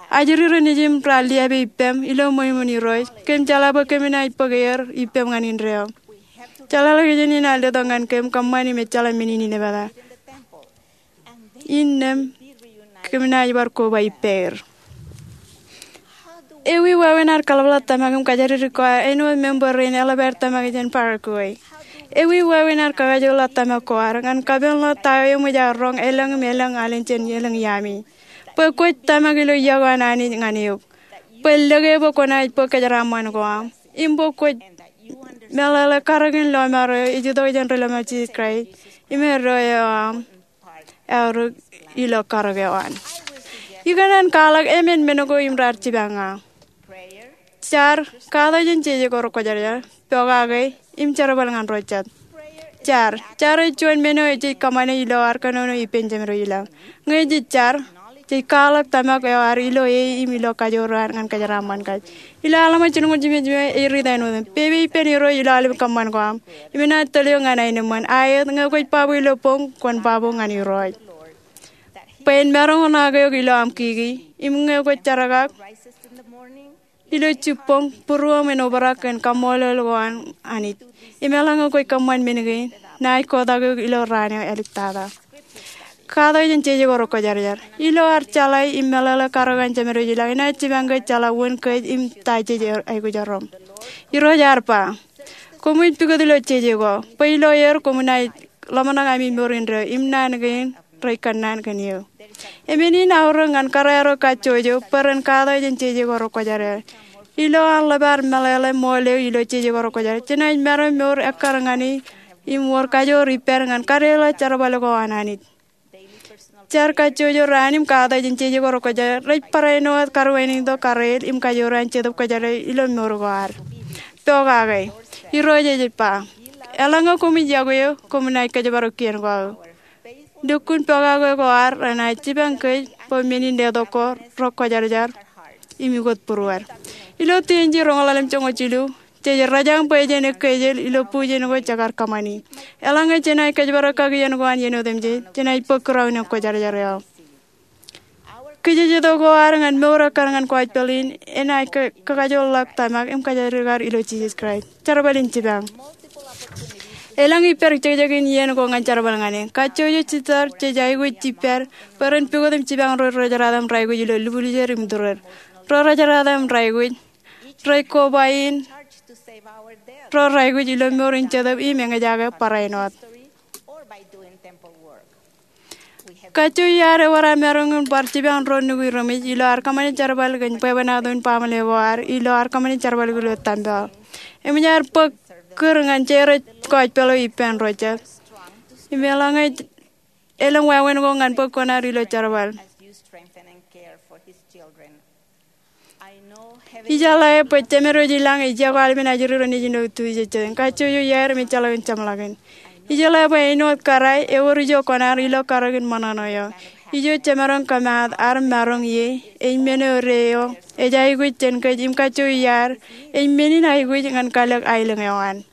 Ajri ro nejūṃ raar liabe ippām ilo ṃweo iṃōn Irooj. Kōm jeḷā bwe kōm naaj bōk er ippām ñan indeeo. Jeḷāḷọkjeṇ in ear letok ñan kōm kōṃṃan im ejjeḷọk men in innepata. Innām kōm naaj bar koba ippāer. Ewi wāween ad kaḷapḷọk tōmak im kōjatdikdik ko ad āinwōt member rein eḷap aer tōmak jān Paraguay? Ewi wāween ad kakajoorḷọk tōmak ko ad ñan kapenḷọk ta eo eṃōj aer roñ elōñ im elōñ alen jān elōñ iaami, bwe kwōj tōmak ilo iọkwe an Anij ñan eok, bwe en lōke bwe kwōnaaj bōk kōjeraaṃṃan ko aṃ, im bwe kwōj meḷeḷe karōk in lọmọọr eo ej itok jān ri-lọmọọr Jisōs Kraist im eddo eo aṃ eaorōk ilo karōk eo an. Ikōṇaan kwaḷọk emān men ko im raar jipañ ña. Jar, katak jān jeje ko rekwōjarjar, pokake, im jerbal ñan ro jet. Jar, jar ej juon men eo jej kōṃṃane ilo ad kōnono ippān Jemedwōj ilañ. Ñe jej jar, jej kwaḷọk tōmak eo ad ilo e im ilo kajoor eo an ñan kōjeraaṃṃan kōj. Ilo Alma jilñoul jimjuon ej riit āinwōt in, pepe ippān Irooj ilo aolep kōṃṃan ko aṃ, im enaaj tōl eok ñan aenōṃṃan. Aet, ñe kwōj baabu ilo boñ, kwōn baabu ñan Irooj, bwe en maroñ in ak eok ilo aṃ kiki, im ñe kwōj jerkak, ilo jibboñ būruōṃ en obrak kōn kaṃṃoolol ko an Anij. Im eḷaññe kwōj kōṃṃan men kein, naaj kotak eok ilo raan eo āliktata. Katak jān jeje ko rekwōjarjar. Ilo ad jeḷā im meḷeḷe karōk an Jemedwōj ilañ, enaaj jipañ kōj jeḷā wōn kōj im ta jej aikuj erom. Irooj ear ba, koṃij pukot ilo jeje ko, bwe ilo er koṃ naaj ḷōmṇak ami mour indeeo im naan kein rej kōnnaan kōn eō. Im men in aorōk ñan kōrā ro kajjojo bwe ren katak jān jeje ko rekwōjarjar. Ilo an ḷap ad meḷeḷe ṃool eo ilo jeje ko rekwōjarjar, jenaaj maroñ mour ekkar ñan e im wōr kajoor ippād ñan kadeḷọk jerbal ko an Anij. Jar kajjojo raan im katak jān jeje ko rekwōjarjar rej barāinwōt karwaineito, kareel im kajoor an Jetōb Kwōjarjar ilo mour ko ad. Pokake. Irooj ej ba, eḷaññe koṃij yokwe eō, koṃ naaj kōjparok kien ko aō. Lukkuun pokake ko ad renaaj jipañ kōj bwe men in letok ko rekwōjarjar im ukōt būruod. Ilo Tioon Jilu roñoul ḷalem joñoul jilu, jej rōjañ bwe jen ekkejel ilo bujen ko jekar kōṃṃani. Eḷaññe jenaaj kōjparok kakien ko an iien otemjej, jenaaj bōk kūraoin kwōjarjar eo. Kijejeto ko ad ñan mour ekkar ñan gospel in enaaj kakajoorḷọk tōmak im kōjatdikdik ad ilo Jisōs Kraist. Jerbal in jipañ. Elōñ ippād jekjek in iien ko ñan jerbal ñan e. Kajjojo jisōr jej aikuj ippād bwe ren pukot im jipañ ro rōjeraat im raikuj ilo lubwiljer im turer, ro rōjeraat im raikuj, rej koba in, ro raikuj ilo mour in jetōb im eñjake barāinwōt. Kajjojo ad ewōr aō maroñ in bar jipañ ro nukwi reṃōj ilo ad kōṃṃane jerbal kōn bwebwenato in baaṃle ko ad ilo ad kōṃṃane jerbal ilo tempel. Eṃōj ad bōk kūr ñan jered gospel eo ippān ro jet. Im eḷaññe elōñ wāween ko ñan bōk kuṇaad ilo jerbal. Ijeḷā bwe Jemedwōj ilañ ej yokwe aolepen ajri ro nejin ilo Tuesday. Kajjojo iaer im ejjeḷọkin jeṃḷọkin. Ijeḷā bwe āinwōt kōrā ewōr ijo kuṇaad ilo karōk in ṃōṇōṇō eo. Ijo jemaroñ kōmaat ad maroñ ie ej men eo deo ej aikuj jān kōj im kajjojo iaer ej men in aikuj ñan kalōk aelōñ eo an.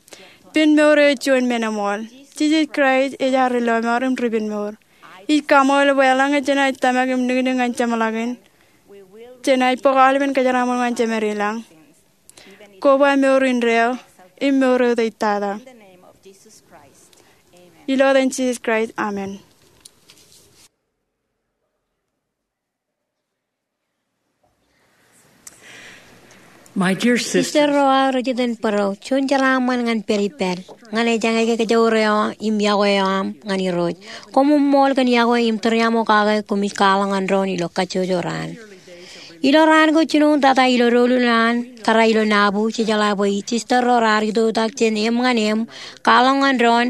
Pen mour eo juon men eṃool. Jisōs Kraist ej ad Ri-lọmọọr im Ri-penmour. Ij kaṃool bwe eḷaññe jenaaj tōmak im niknik ñan jeṃḷọkin, jenaaj bōk aolepen kōjeraaṃṃan ko an Jemed ilañ, koba mour indeeo im mour eo ej tata. Ilo etan Jisōs Kraist, amen. Sisters ro aō rej iten bōro, juon jeraaṃṃan ñan pād ippād. Ñan ejañe ke kōjro eo im yokwe eo aṃ ñan Irooj, koṃ ṃool kōn yokwe im tūriaṃo kake koṃij kwaḷọk ñan doon ilo kajjojo raan. Ilo raan ko jinoin tata ilo doulul an kōrā ilo Nauvoo, jejeḷā bwe ij sister ro raar itoktak jān eṃ ñan eṃ kwaḷọk ñan doon,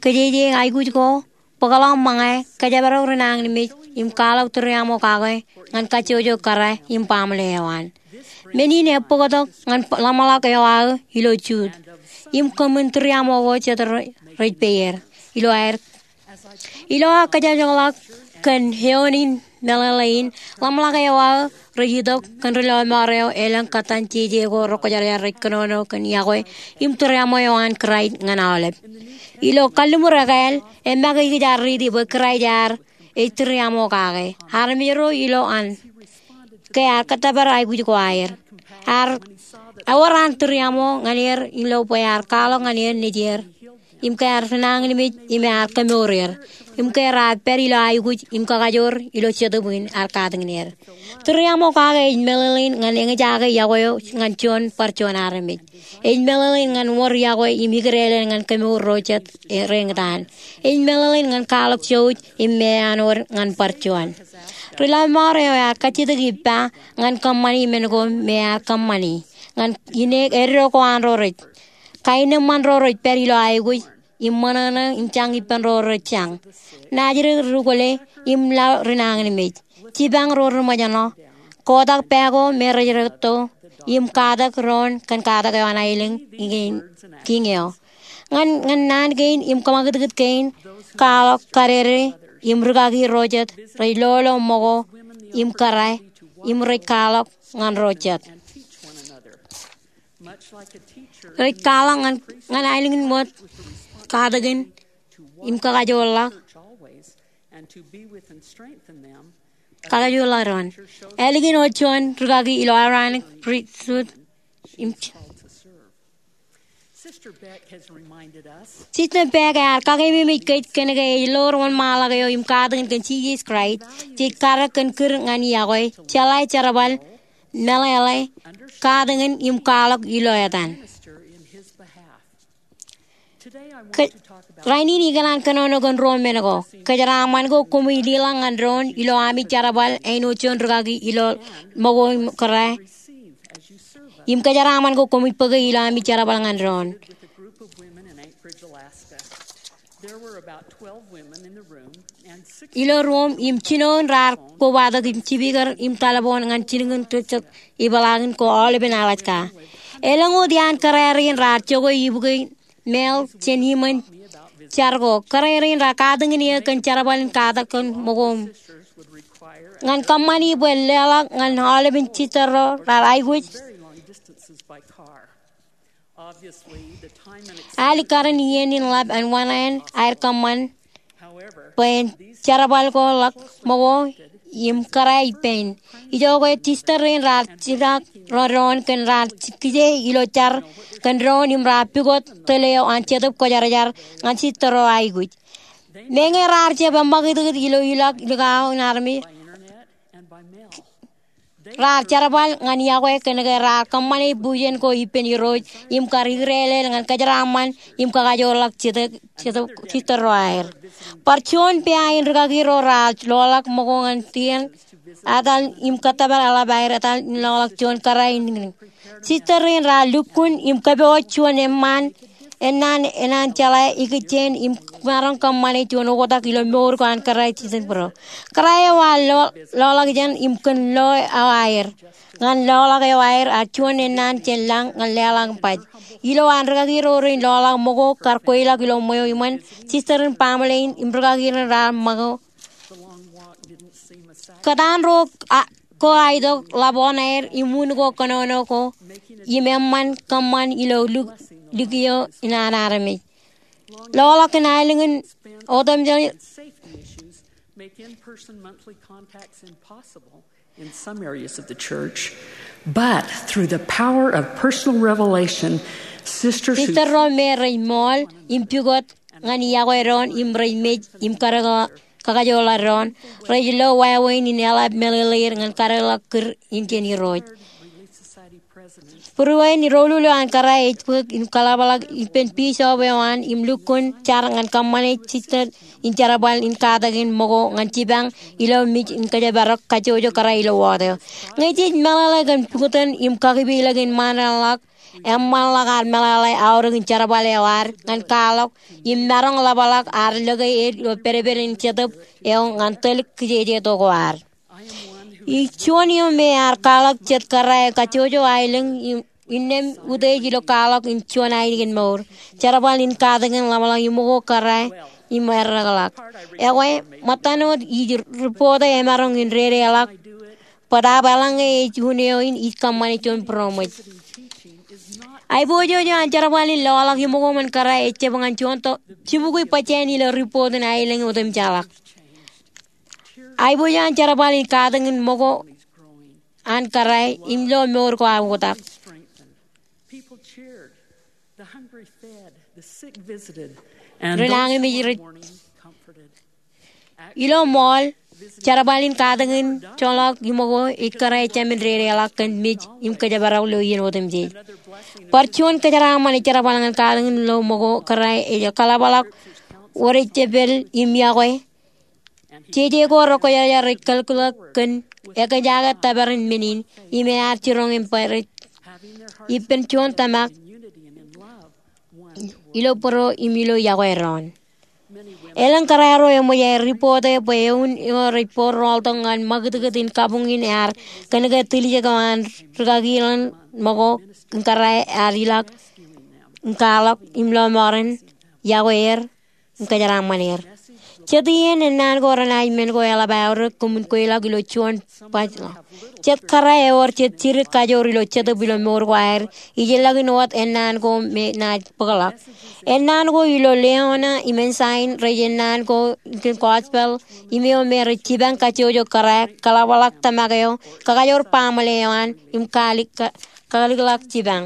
kōjeje aikuj ko, bōkḷọk ṃōñā, kōjparok ri nañinmej im kwaḷọk tūriaṃo kake ñan kajjojo kōrā im baaṃle eo an. Men in ebōktok ñan ḷōmṇak eo aō ilo jut im kōṃṃan tūriaṃo ko jet rej peier ilo aer. Ilo aō kōjjokḷọk kōn eoon in meḷeḷe in, ḷōmṇak eo aō rej itok kōn ri-lọmọọr eo elōñ kōttan jeje ko rekwōjarjar rej kōnono kōn yokwe im tūriaṃo eo an Kraist ñan aolep. Ilo kalliṃur ekāāl, eṃṃakūt kōj ar riiti bwe Kraist ear ej tūriaṃo kake armej ro ilo an ke ear kōttōpar aikuj ko aer. Ear ewōr an tūriaṃo ñan er ilo bwe ear kwaḷọk ñan er nejier im ke ear ri nañinmej im ear kemour er im ke raar pād ilo aikuj im kakajoor ilo Jetōb in ear katakin er. Tūriaṃo kake ej meḷeḷein ñan eñjake yokwe eo ñan juon bar juon armej. Ej meḷeḷein ñan wōr yokwe im ikōtleḷein ñan kemour ro jet reñtaan. Ej meḷeḷein ñan kwaḷọk jouj im meanwōd ñan bar juon. Ri-lọmọọr eo ear kajjitōk ippa ñan kōṃṃani men ko me ear kōṃṃani ñan ineek eddo ko an ro rej kaenōṃṃan ro rej pād ilo aikuj im ṃōṇōṇō im jañ ippān ro rej jañ, naajdik ri-kwōle im laḷ ri nañinmej, jipañ ro ri ṃōjṇọ, kotak pā ko me rej rekto im katak doon kōn katak eo an aelōñ kiiñ eo. Ñan, ñan naan kein im kōṃakūtkūt kein, kwaḷọk, kadede im rūkaki ro jet rej lolo ṃōko im kōrā im rej kwaḷọk ñan ro jet. Rej kwaḷọk ñan, ñan aelōñ in wōt katakin im kakajoorḷọk. kakajoorḷọk doon. Ālikin wōt juon rūkaki ilo Aaronic Priesthood im Sister Beck ear kakememej kōj kōnke ej ḷoor wōnṃaanḷọk eo im katakin kōn Jisōs Kraist jej karōk kōn kūr ñan iọkwe, jeḷā jerbal, meḷeḷe, katakin im kwaḷọk ilo etan. Rainin ikōṇaan kōnono kōn ruo men ko. Kōjeraaṃṃan ko koṃij leḷọk ñan doon ilo ami jerbal āinwōt juon rūkaki ilo ṃōko im kōrā. Im kōjeraaṃṃan ko koṃij bōke ilo ami jerbal ñan doon. Ilo ruuṃ im jinoin raar kobatok im jibikōr im taḷboon ñan jilkinḷọk ijoko ipḷaakin ko aolepen Alaska. Elōñ wōt iaan kōrā rein raar jokwe ibukwe mail jān iṃōn jar ko. Kōrā rein raar katakin eō kōn jerbal in katak kōn ṃōko im ñan kōṃṃani bwe leḷọk ñan aolepen sister ro raar aikuj. Al ikar in iien in ḷap an wānāān aer kōṃṃan bwe en jerbal ko ḷọk ṃōko im kōrā ippān. Ijoko sister rein raar jirak ro doon kōn raar kije ilo jar kōn doon im raar pukot tōl eo an Jetōb Kwōjarjar ñan sister ro aikuj. Meñe raar jab eṃṃakūtkūt ilo ilọk likao in armej, raar jerbal ñan iọkwe kōnke raar kōṃṃane bujen ko ippān Irooj im kar ikdeḷeḷ ñan kōjeraaṃṃan im kakajoorḷọk sister ro aer. Bar juon pea in rūkaki ro raar loḷọk ṃōko ñan tien etal im kōttōpar eḷap aer etal in loḷọk juon kōrā in niñniñ. Sister rein raar lukkuun im kōpooj juon eṃṃaan ennaan, ennaan jeḷā ikijjien im maroñ kōṃṃane juon oktak ilo mour ko an kōrā jidik būro. Kōrā eo ear loḷọk jān im kōn lo eo aer. Ñan loḷọk eo aer ear juon ennaan jān lañ ñan leḷọk baj. Ilo an rūkaki ro rein loḷọk ṃōko kar kweilọk ilo ṃweo iṃōn, sister in baaṃle in im rūkaki rein raar ṃōko. Kōtaan ro ko aetok ḷap oṇaer im un ko kōnono ko im eṃṃan kōṃṃan ilo lukkuun eo in an armej. Loḷọk in aelōñ in otemjej. Sister ro me rej ṃool im pukot ñan iọkwe doon im rej mej im kar kakajoorḷọk doon, rej lo wāween in eḷap meḷeḷeir ñan kadeḷọk kūr in jān Irooj. Būruon in doulul eo an kōrā ej bōk im kōḷapḷọk ippān bishop eo an im lukkuun jar ñan kōṃṃane sister in jerbal in katakin ṃōko ñan jipañ ilo mej in kōjparok kajjojo kōrā ilo wōt eo. Ñe jej meḷeḷe kōn bukwōn im kakipeilọk in ṃaanḷọk, eṃṃanḷọk ad meḷeḷe aorōk in jerbal eo ad ñan kwaḷọk im maroñ ḷapḷọk ad lōke er ilo pedped in Jetōb eo ñan tōl kijeje to ko ad. Ij juon eo me ear kwaḷọk jet kōrā eo kajjojo aelōñ innām utiej ilo kwaḷọk in juon ainikien mour, jerbal in katakin ḷapḷọk iṃōko kōrā im erreḷọk. Ekwe, ṃōttan wōt ij ripote emaroñ in dedeḷọk bōtaab eḷaññe ej un eo in ij kōṃṃane juon būroṃōj. Aiboojoj eo an jerbal in loḷọk iṃōko im kōrā ejjab ñan juon to jibukwi bajjāān ilo ripot in aelōñ otemjeḷọk. Aiboojoj an jerbal in katakin ṃōko an kōrā im lo mour ko aō oktak. Ren añemej rej ilo ṃool, jerbal in katakin joḷọk iṃōko ej kōrā ejāmin dedeḷọk kōn mej im kōjparok ilo iien otemjej. Bar juon kōjeraaṃṃan ej jerbal ñan katakin lo ṃōko kōrā ej kōḷapḷọk wōt ejjab pād im iọkwe. Jeje ko rekwōjarjar rej kōlkōlōk kōn ekōjak tōpar in men in im ear jiroñ im bwe rej ippān juon tōmak ilo būro im ilo iọkwe doon. Elōñ kōrā ro eṃōj aer ripote bwe eoon eo rej bar rọọltok ñan ṃakūtkūt in kabuñ in ear kōnke tiljek eo an rūkaki ḷọk ṃōko im kōrā ear ilọk im kwaḷọk im lọmọọren iọkwe er im kōjeraaṃṃan er. Jet iien ennaan ko renaaj men ko eḷap aorōk koṃwin kweilọk ilo juon baj ḷọk. Jet kōrā ewōr jet jidik kajoor ilo Jetōb ilo mour ko aer, ijellọkin wōt ennaan ko me naaj bōkḷọk. Ennaan ko ilo Leona im Ensign rej ennaan ko in gospel im eo me rej jipañ kajjojo kōrā, kaḷapḷọk tōmak eo, kakajoor baaṃle eo an, im kalikkar, kalikḷọk jipañ.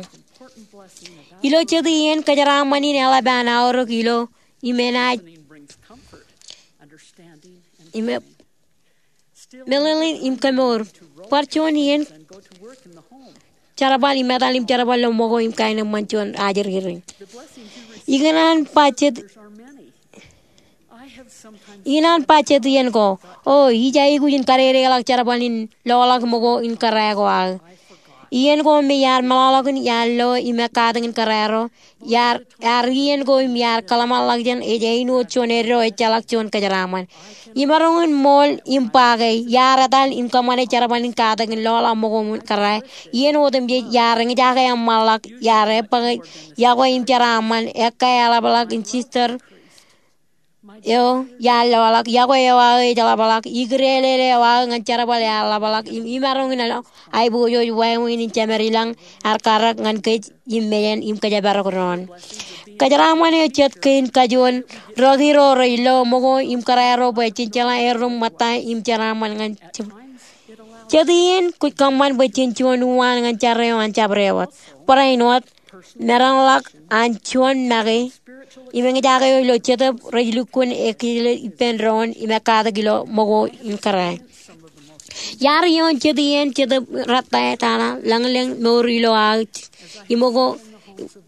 Ilo jet iien kōjeraaṃṃan in eḷap an aorōk ilo im enaaj im e- meḷeḷein im kemour. Bar juon iien jerbal im etal im jerbal ilo ṃōko im kaenōṃṃan juon ajri rein. Ikōṇaan ba jet, ikōṇaan ba jet iien ko, o, ij aikuj in kadedeḷọk jerbal in loḷọk ṃōko in kōrā ko aō. Iien ko me iar meḷọkḷọk in iar lo im ekkatak in kōrā ro, iar, iar iien ko im iar kōḷmānḷọkjeṇ ej āinwōt juon eddo ejjeḷọk juon kōjeraaṃṃan. Imaroñ in ṃool im ba ke iar etal im kōṃṃane jerbal in katak in loḷọk ṃōko in kōrā. Iien otemjej iar eñjake eṃṃanḷọk, iar ebōke yokwe im jeraaṃṃan, ekkā eḷapḷọk in sister eo iar loḷọk, yokwe eo aō ej ḷapḷọk, ikūrelele eo aō ñan jerbal ear ḷapḷọk, im imaroñ in aiboojoj wāween in jemed ilañ ear karōk ñan kōj im mejān im kōjparok doon. Kōjeraaṃṃan eo jet kein kajuon rūkaki ro rej lo ṃōko im kōrā ro bwe jen jeḷā errūṃ ṃōtta im jeraaṃṃan ñan jet iien kwōj kōṃṃan bwe jen juon uwaan ñan jar eo an jabdewōt. Barāinwōt, meramḷọk an juon make im eñjake eo ilo Jetōb rej lukkuun ekijel ippān doon im ekkatak ilo ṃōko in kōrā. Iar ioon jet iien Jetōb rattaetata lañlōñ mour ilo aō im ṃōko,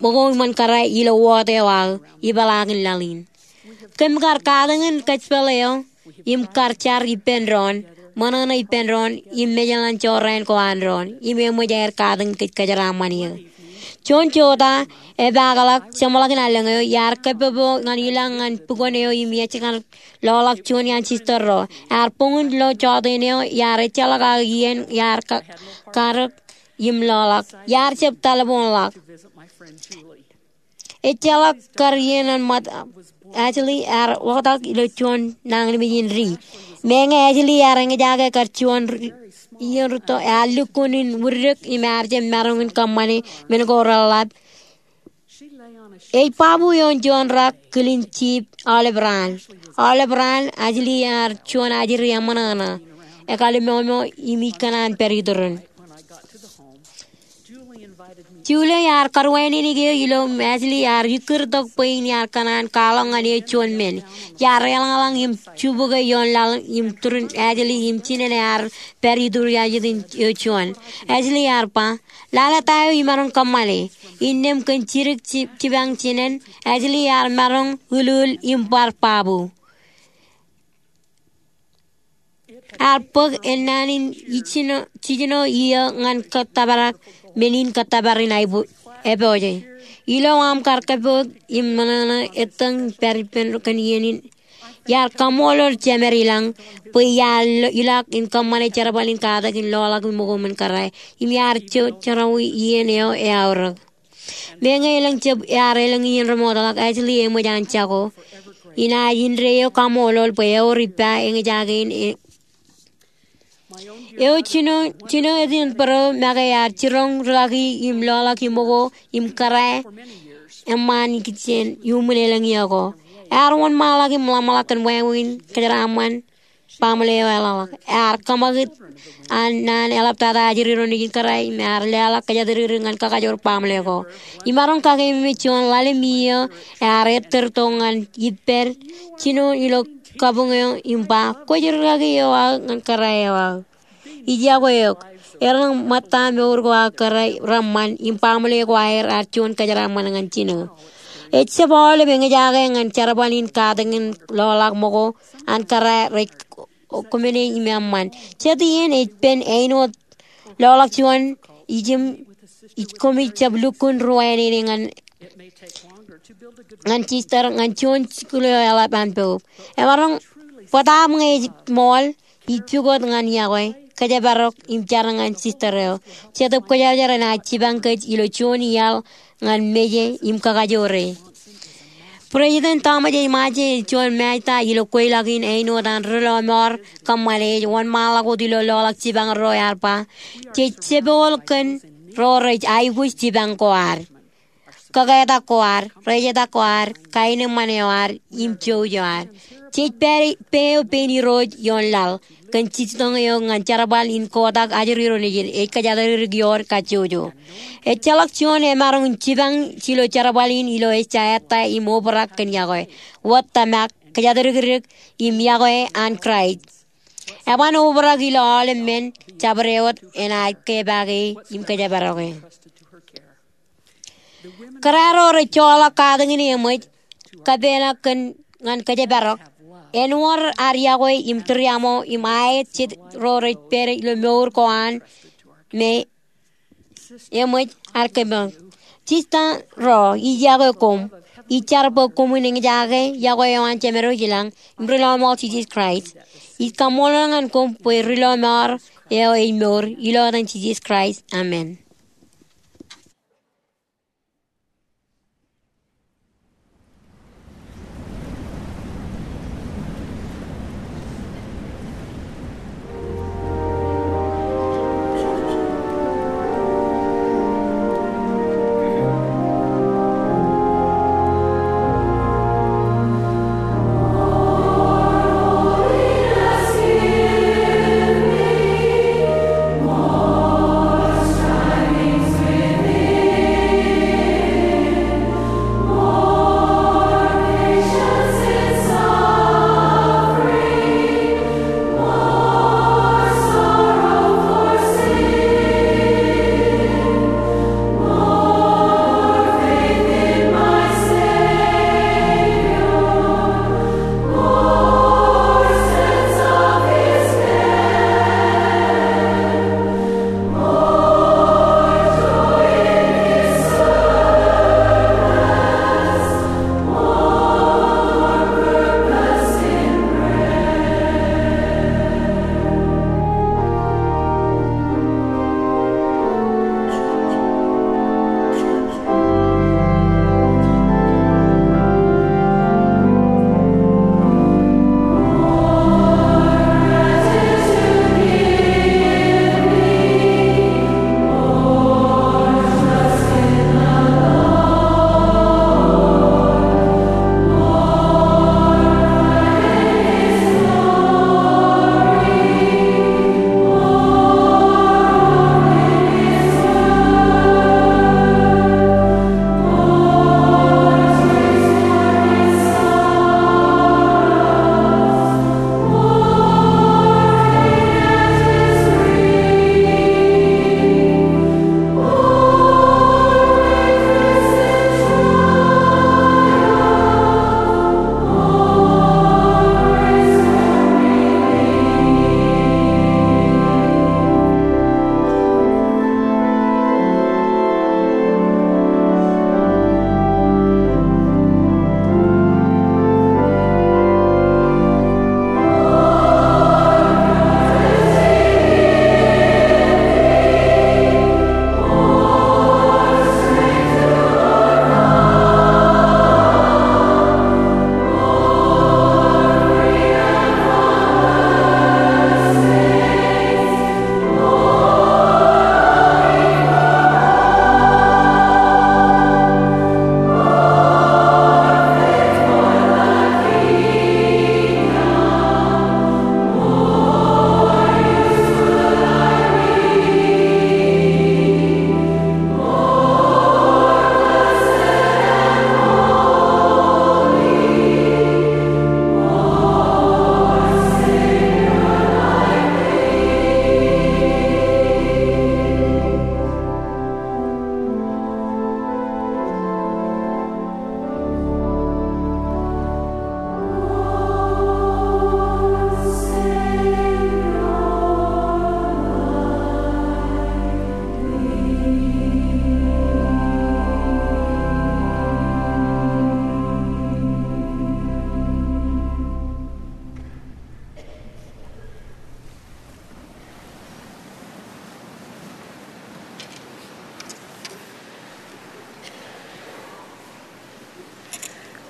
ṃōko iṃōn kōrā ilo wōt eo aō ipeḷaakin laḷ in. Kōm kar katakin kōjpeḷ eo im kar jar ippān doon, ṃōṇōṇō ippān doon, im mejeḷan jorrāān ko an doon, im eṃōj aer katakin kōj kōjeraaṃṃan eō. Juon jota epaakḷọk jeṃḷọkin allōñ eo, iar kōpopo ñan ilañ ñan bukwōn eo im ej kar loḷọk juon iaan sister ro. Ear buñ in lo jota in eo, iar ejjeḷọk aō iien, iar ka-, karōk im loḷọk. Iar jab telephone ḷọk. Ejjeḷọk kar iien an ṃōttan, Ashley ear oktak ilo juon nañinmej in ri. Meñe Ashley ear eñjake kar juon ri-, iien rūtto, ear lukkuun in widik im ear jab maroñ in kōṃṃane men ko reḷḷap. Ej babu ioon juon rak kilin jeep Olive Branch. Olive Branch, Ashley ear juon ajri eṃōṇōṇō, ekalimomo im ij kōṇaan pād iturin. Julie ear karuwainene eō ilo im Ashley ear ikkūrtok bwe in iar kōṇaan kwaḷọk ñan eō juon men. Iar eḷañḷọñ im jubukwe ioon laḷ im turin Ashley im jinen ear pād iturin jet in eō juon. Ashley ear ba, lale ta eo imaroñ kōṃṃane. Innām kōn jidik ji-, jipañ jinen, Ashley ear maroñ ulul im bar babu. Ear bōk ennaan in ijjino, jijino iiō ñan kōttōpar men in kōttōpar in aibo-, epooje. Ilo aṃ kar kōpooj im ṃōṇōṇō ettōñ pād ippān kōn iien in, iar kaṃṃoolol jemed ilañ bwe iar lo-, ilọk in kōṃṃane jerbal in katakin loḷọk ṃōko in kōrā im iar jo-, jerawi iien eo eaorōk. Meñe elōñ jab ear elōñ iien remootḷọk, Ashley eṃōj an jako. Inaaj indeeo kaṃṃoolol bwe ewōr ippa eñjake in e-, eo jino, jino ej in bōro make ear jiroñ rūkaki im loḷọk ṃōko im kōrā eṃṃaan ikijjien iuṃwin elōñ iiō ko. Ear wōnṃaanḷọk im ḷōmṇak kōn wāween kōjeraaṃṃan baaṃle eo eḷapḷọk. Ear kōṃakūt an naan eḷaptata ajri ro nejin kōrā im ear leḷọk kōjatdikdik ñan kakajoor baaṃle ko. Imaroñ kakeememej juon ḷalem iiō ear ettōr tok ñan ippād jino ilo kabuñ eo im ba, kwōj rūkaki eo aō ñan kōrā eo aō. Ij yokwe eok. Errūṃ ṃōtta mour ko aō kōrā reṃṃan im baaṃle ko aer ear juon kōjeraaṃṃan ñan jino. Ejjab aolep eñjake ñan jerbal in katakin loḷọk ṃōko an kōrā rej kōmāne im eṃṃan. Jet iien ej pen āinwōt loḷọk juon ijin, ij koṃij jab lukkuun ruwainene ñan, ñan sister ñan juon jikuuḷ eo eḷap an poub. Emaroñ bōtaab ñe ej ṃool, ij pukot ñan yokwe, kōjparok im jar ñan sister eo. Jetōb Kwōjarjar enaaj jipañ kōj ilo juon iaḷ ñan meje im kakajoore. President Thomas S. Monson ej juon Mājta ilo kweilọk in āinwōt an Ri Lọmọọr kōṃṃane ej wōnṃaanḷọk wōt ilo loḷọk jipañ ro ear ba, jej jepel kōn ro rej aikuj jipañ ko ad, kōketak ko ad, rejetak ko ad, kaenōṃṃan eo ad, im jouj eo ad. Jej pād, pā eo pein Irooj ioon laḷ kōn jitōñ eo ñan jerbal in kotak ajri ro nejid ej kōjatdikdik ioon kajjojo. Ejjeḷọk juon emaroñ in jipañ jiljilimjuon jerbal in ilo ejja ettā im obrak kōn yokwe, wōt tōmak, kōjatdikdik, im yokwe an Kraist. Eban obrak ilo aolep men jabdewōt enaaj kepaake im kōjparoke. Kōrā ro rej joḷọk katakin eṃōj kōpeḷḷọk kōn ñan kōjparok, āinwōt ad yokwe im tūriaṃo im aet jet ro rej pād ilo mour ko an me eṃōj ad kōpeḷḷọk. Sista ro, ij yokwe koṃ. Ij jar bwe koṃwin eñjake yokwe eo an Jemedwōj ilañ im Ri Lọmọọr Jisōs Kraist. Ij kaṃṃoolol ñan koṃ bwe Ri Lọmọọr eo ej mour. Ilo etan Jisōs Kraist, amen.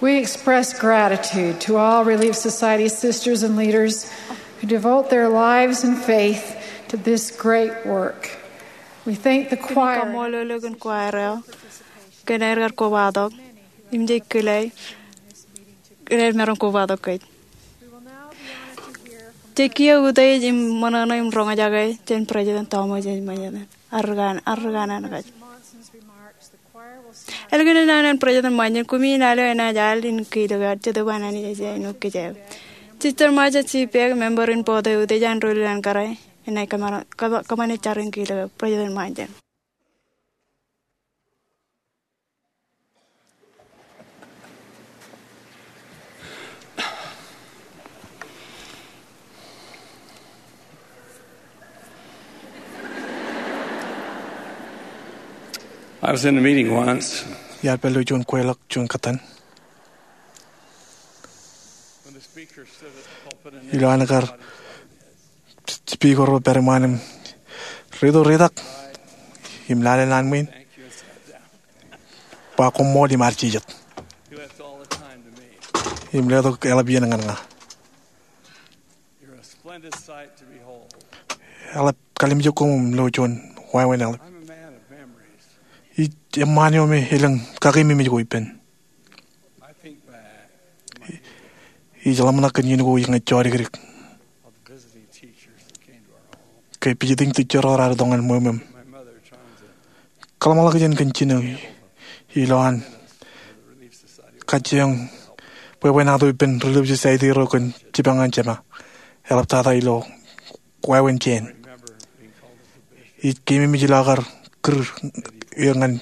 We express gratitude to all Relief Society sisters and leaders who devote their lives and faith to this great work. We thank the choir. Kaṃṃoolol eok kōn choir eo kōn aer kar kobatok im jej kile aer maroñ kobatok kōj. Jej kiiō utiej im ṃōṇōṇō im roñjake jān President Thomas S. Monson. Ar ri kanaan, ar ri kanaan kōj. Ālikin naan an President Monson, kumi in al eo enaaj al in kilōk eok, Jetōb an Anij ej āinwōt kōj eo. Sister Marcia C. Peck, member in board eo, ej an doulul an kōrā, enaaj kōṃṃan, kōṃṃan jar in kilōk eok President Monson. I was in a meeting once. Iar pād ilo juon kweilọk juon kōttan. When the speaker stood at the pulpit and ilo an kar speaker eo pād iṃaan im riit eo ritak im lale naan ṃwiin. Ba koṃṃool im arjijat. Im letok eḷap iien ñan ña. Eḷap kalimjek koṃ im lo juon wāween eḷap. Ij eṃṃaan eo me elōñ kakeememej ko ippān. Ij ḷōmṇak kōn iien ko ij ñe jodikdik ke visiting teacher ro raar itok ñan ṃweo ṃweo. Kōḷmānḷọkjeṇ kōn jino ilo an kajjioñ bwebwenato ippān Relief Society ro kōn jipañ an jema. Eḷap tata ilo wāween jān ij keememej ilo aō kar kūr eō ñan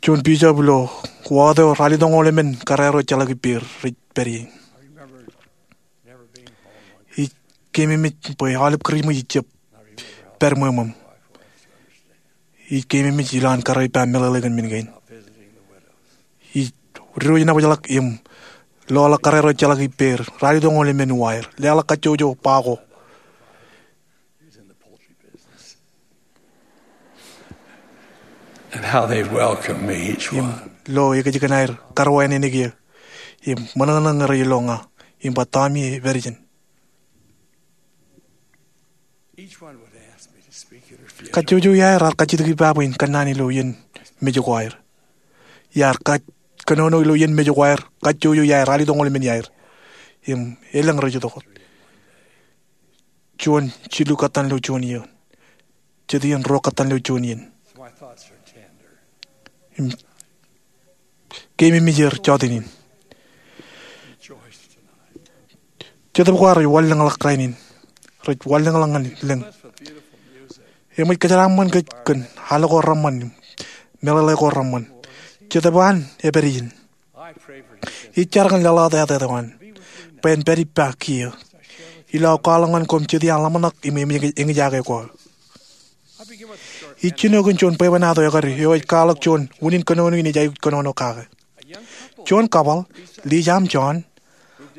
juon bishop ilo ward eo raar lutōñoul emān kōrā ro ejjeḷọk ippāer rej pād ie. Ij keememej bwe aolep kūr ṃōj ij jab pād ṃweo ṃweo. Ij keememej ilo an kōrā ippa meḷeḷe kōn men kein. Ij diwōj nabōjḷọk im loḷọk kōrā ro ejjeḷọk ippāer raar lutōñoul emān uwaer, leḷọk kajjojo ba ko. And how they welcome me, each one. Im lo ekōjkan aer karuwaineneik eō im ṃōṇōṇō ñe rej lo ña im ba, "Tommy, epād ijin." Each one would ask me to speak at her funeral. Kajjojo iaer raar kajjitōk ippa bwe in kōnnaan ilo iien mej ko aer. Iar kōnono ilo iien mej ko aer, kajjojo iaer, raar lutōñoul emān iaer. Im elōñ rej itok wōt. Juon jilu kōttan ilo juon iien. Jet iien ruo kōttan ilo juon iien. Im keememej er jọteen in. Jetōb ko ad rej wanlōñḷọk rainin. Rej wanlōñḷọk ñan lōñ. Eṃōj kōjeraaṃṃan kōj kōn al ko reṃṃan, meḷeḷe ko reṃṃan. Jetōb eo an epād ijin. Ij jar kōn leḷọk etaet eo an bwe en pād ippa kiiō ilo aō kwaḷọk ñan koṃ jet iaan ḷōmṇak im eṃōj eñjake ko aō. Ij jino kōn juon bwebwenato ekkar eo ej kwaḷọk juon unin kōnono in ej aikuj kōnono kake. Juon couple, Lisa im John,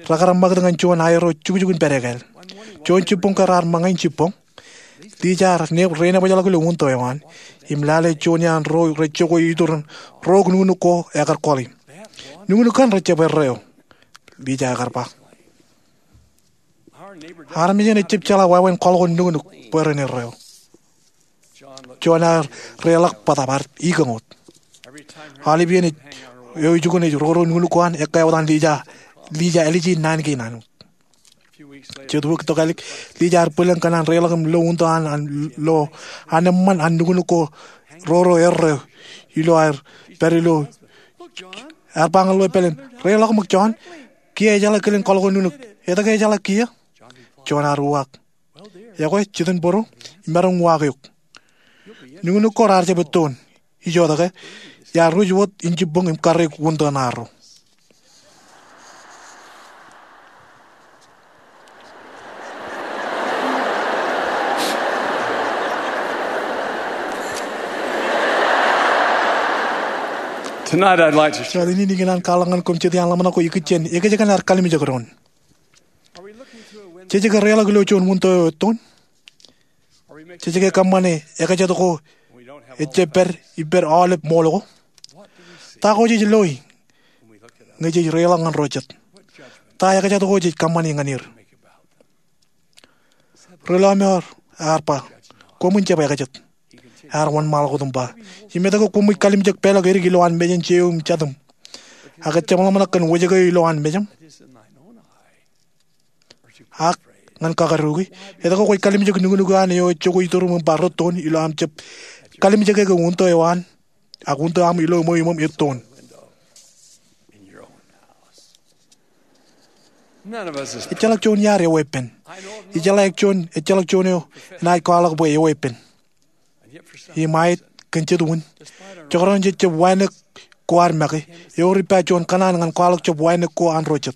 rekar ṃakūt ñan juon aerro jukjuk in pād ekāāl. Juon jibboñ ke raar ṃōñā in jibboñ, Lisa ear neb, re nōbōjḷọk ilo wūntō eo an im lale juon iaan ro rej jokwe iturin rook nuknuk ko ekar kọḷi. "Nuknuk kaṇ rej jab erreo," Lisa ekar ba. "Armej eṇ ejjab jeḷā wāween kọḷkọḷ nuknuk bwe ren erreo." John ear reḷọk bōtab ear ikōñ wōt. Aolep iien eo ijukun ej roro nuknuk ko an, ekkā wōt an Lisa, Lisa ālije naan kein an wōt. Jet wiik tok ālik, Lisa ear bwilōñ kōn an reḷọk im lo wūntō an, an lo an eṃṃan an nuknuk ko roro erreo ilo aer pād ilo, ear ba ñan ḷeo epālen, "Reḷọk ṃōk John, kiiō ejeḷā kilen kọḷkọḷ nuknuk. Etke ejeḷā kiiō?" John ear uwaak, "Ekwe, jet in bōro im maroñ uwaak eok. Nuknuk ko raar jab ettoon. Ijo etke, iar ruj wōt in jibboñ im karreoik wūntō ṇaarro." Tonight I'd like to share. Jọteen in ikōṇaan kwaḷọk ñan koṃ jet iaan ḷōmṇak ko ikijjien ekōjkan ad kalimjek doon. Jej ke reḷọk ilo juon wūntō eo ettoon? Jej ke kōṃṃane ekōjkan ko ejjab pād ippād aolep ṃool ko? Ta ko jej loi ñe jej reiḷọk ñan ro jet. Ta ekajat ko jej kōṃṃani ñan er? Ri lọmọọr ear ba, koṃwin jab ekajet. Ear wōnṃaanḷọk wōt im ba, im etke koṃij kalimjek peḷọk edik ilowaan mejān jeiū im jatūṃ, ak ejjab ḷōmṇak kōn wōjke eo ilowaan mejaṃ? Ak ñan kakōrūki, etke kwōj kalimjek nuknuk eo an eo ej jokwe ituruṃ im ba rūttoon ilo aṃ jab kalimjeke ke untō eo an, ak untō aṃ ilo ṃweo iṃōṃ ettoon? Ejjeḷọk juon iaad eweeppān. Ijeḷā ejjeḷọk juon, ejjeḷọk juon eo enaaj kwaḷọk bwe eweeppān. Im aet, kōn jet wōn, jekdọọn jej jab wānōk ko ad make, ewōr ippa juon kōṇaan ñan kwaḷọk jab wānōk ko an ro jet.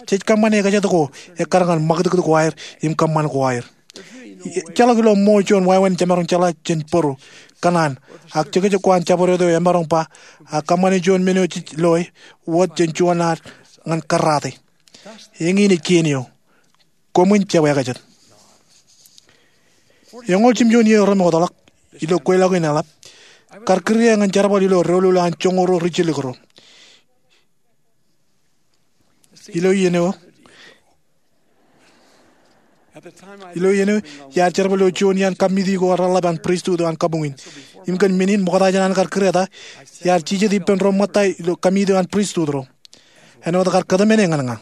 Jej kōṃṃane ekajat ko ekkar ñan ṃakūtkūt ko aer im kōṃṃan ko aer. Ejjeḷọk ilo ṃool juon wāween jemaroñ jeḷā jān bōro kōṇaan, ak jekjek ko an jabdewōt eo emaroñ ba, ak kōṃṃane juon men eo jej loe wōt jān juon ad ñan kōrraate. Eñin ej kien eo. Koṃwin jab ekajet. Eñoul jimjuon iiō remootḷọk, ilo kweilọk in eḷap, kar kūr ie ñan jerbal ilo doulul an joñoul ruo rijjilōk ro. Ilo iien eo, ilo iien eo, iar jerbal ilo juon iaan kōmiti ko reḷap an pristut eo an kabuñ in. Im kōn men in, ṃokta jān an kar kūr eta, iar jijet ippān ro ṃōtta ilo kōmiti eo an pristut ro. Āinwōt kar kōtmāne ñan ña.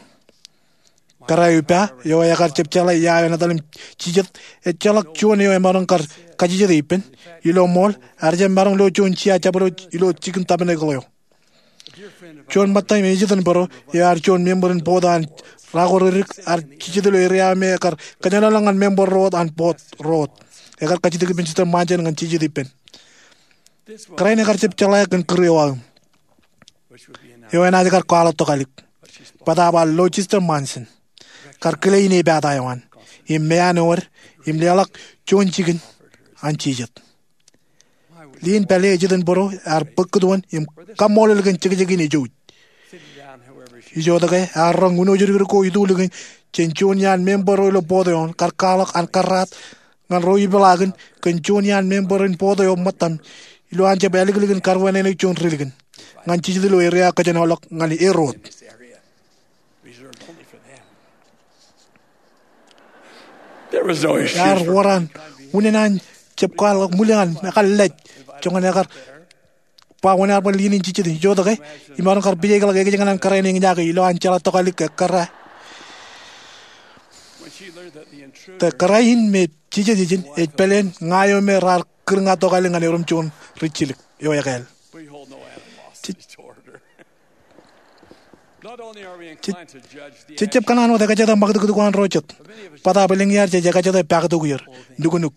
Kōrā eo ippa, eo ekar jab jeḷā ia eo etan im jijet, ejjeḷọk juon eo emaroñ kar kajjitōk ippān. Ilo ṃool, ear jab maroñ lo juon jia jabdewōt ilo jikin tabernacle eo. Juon ṃōtta im ejitōnbōro, eo ear juon member in board eo an rako ridik, ear jijet ilo area eo me ekar kōjenolọk ñan member ro wōt an board ro wōt. Ekar kajjitōk ippān Sister Monson ñan jijet ippān. Kōrā in ekar jab jeḷā kōn kūr eo aō, eo enaaj kar kwaḷọk tokālik. Bōtaab ear lo Sister Monson, kar kile inepata eo an, im meanwōd, im leḷọk juon jikin an jijet. Lien pālle ejitōnbōro ear bōk kūtwōn im kaṃṃoolol kōn jekjek in ejouj. Ijoke, ear roñ uno jidikdik ko itulikin jān juon iaan member ro ilo board eo an, kar kwaḷọk an kōrraat ñan ro ipeḷaakin kōn juon iaan member in board eo ṃōttaṃ, ilowaan jab āliklik in karwānānōk juon ri likin ñan jijet ilo area kōjenolọk ñan er wōt. Ear wōr an unin an jab kwaḷọk ṃwilaḷ an ekar lej joñan ekar ba wōn ear bar lien in jijet. Ijoke, imaroñ kar pijekḷọk ekōjkan an kōrā in eñjake ilowaan jeḷā tokālik ekkar. Kōrā in me jijet ijin ej pāleen ña eo me raar kūr ña tokālik ñan erom juon rijjilōk eo ekāāl. Jej jab kōṇaan wōt ekajete ṃakūtkūt ko an ro jet. Bōtaab elōñ iaad jej ekajete paktok er, nuknuk,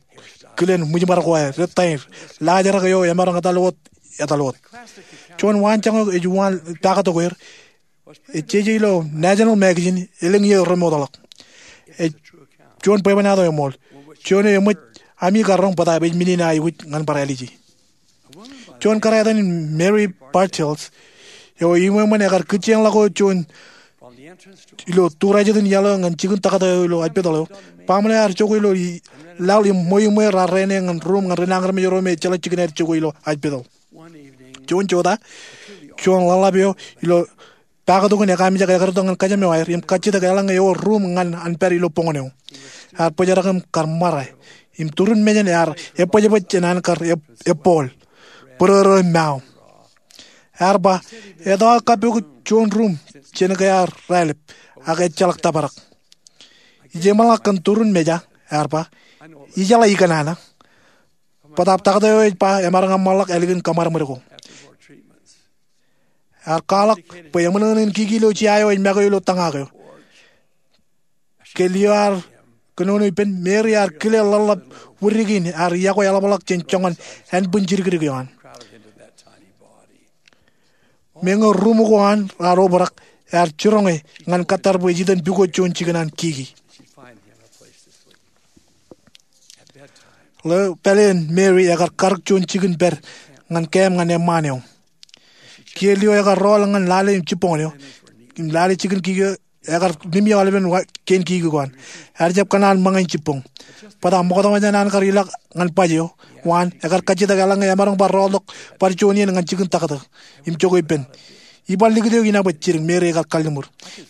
kilen ṃwijṃar ko aer, rej taer, laajrak eo emaroñ etal wōt, etal wōt. Juon waanjoñak eo ej uwaan paktok er, ej jeje ilo National Magazine elōñ iiō remootḷọk. Ej juon bwebwenato eṃool. Juon eo eṃōj ami kar roñ bōtaab ej men in aikuj ñan bar āliji. Juon kōrā etan in Mary Bartels, eo eṃṃan ekar kūtjeñḷọk wōt juon ilo tūrajjitōn iaḷ eo ñan jikin taktō eo ilo hospital eo. Baaṃle ear jokwe ilo laḷ im ṃweo im raar rene ñan ruuṃ ñan ri nañinmej ro me ejjeḷọk jikin aer jokwe ilo hospital. Juon jota, juon ḷōḷḷap eo ilo paktok in ekaamijak ekar itok ñan kōjām eo aer im kajjitōk eḷaññe ewōr ruuṃ ñan an pād ilo boñōn eo. Ear bōjrak im kar ṃare, im turin mejān ear ebōjbōj jān an kar eb-, ebbool, bōrōrō im mao. Ear ba, etto aō kappok juon ruuṃ jān ke ear raelep, ak ejjeḷọk tōprak. Ijeṃḷọk kōn turin meja, ear ba, ijeḷā ikōṇaan. Bōtaab taktō eo ej ba emaroñ eṃṃanḷọk ālikin kōṃadṃōd ko. Ear kwaḷọk bwe eṃōṇōṇō in kiki ilo jea eo ej make ilo tōñak eo. Ke lio ad kōnono ippān, Mary ear kile ḷōḷḷap widik in ear iọkwe eḷapḷọk jān joñan ānbwin jidikdik eo an. Meñe ruuṃ ko an raar obrak, ear jiroñe ñan kōttar bwe ej itok pukot juon jikin an kiki. Ḷeo pāleen Mary ekar karōk juon jikin pād ñan kaṃ ñan eṃṃaan eo. Kiiō lio ekar rọọl ñan lale jibboñōn eo, im lale jikin kiki eo, ekar limjek aolepen kein kiki ko an. Ear jab kōṇaan ṃōñā jibboñ. Bōtaab ṃokta wōt jān an kar ilọk ñan baj eo, waan, ekar kajjitōk eḷaññe emaroñ bar rọọltok bar juon iien ñan jikin taktō im jokwe ippān. iban likūt eo inabōj jidik Meri ekar kalliṃur.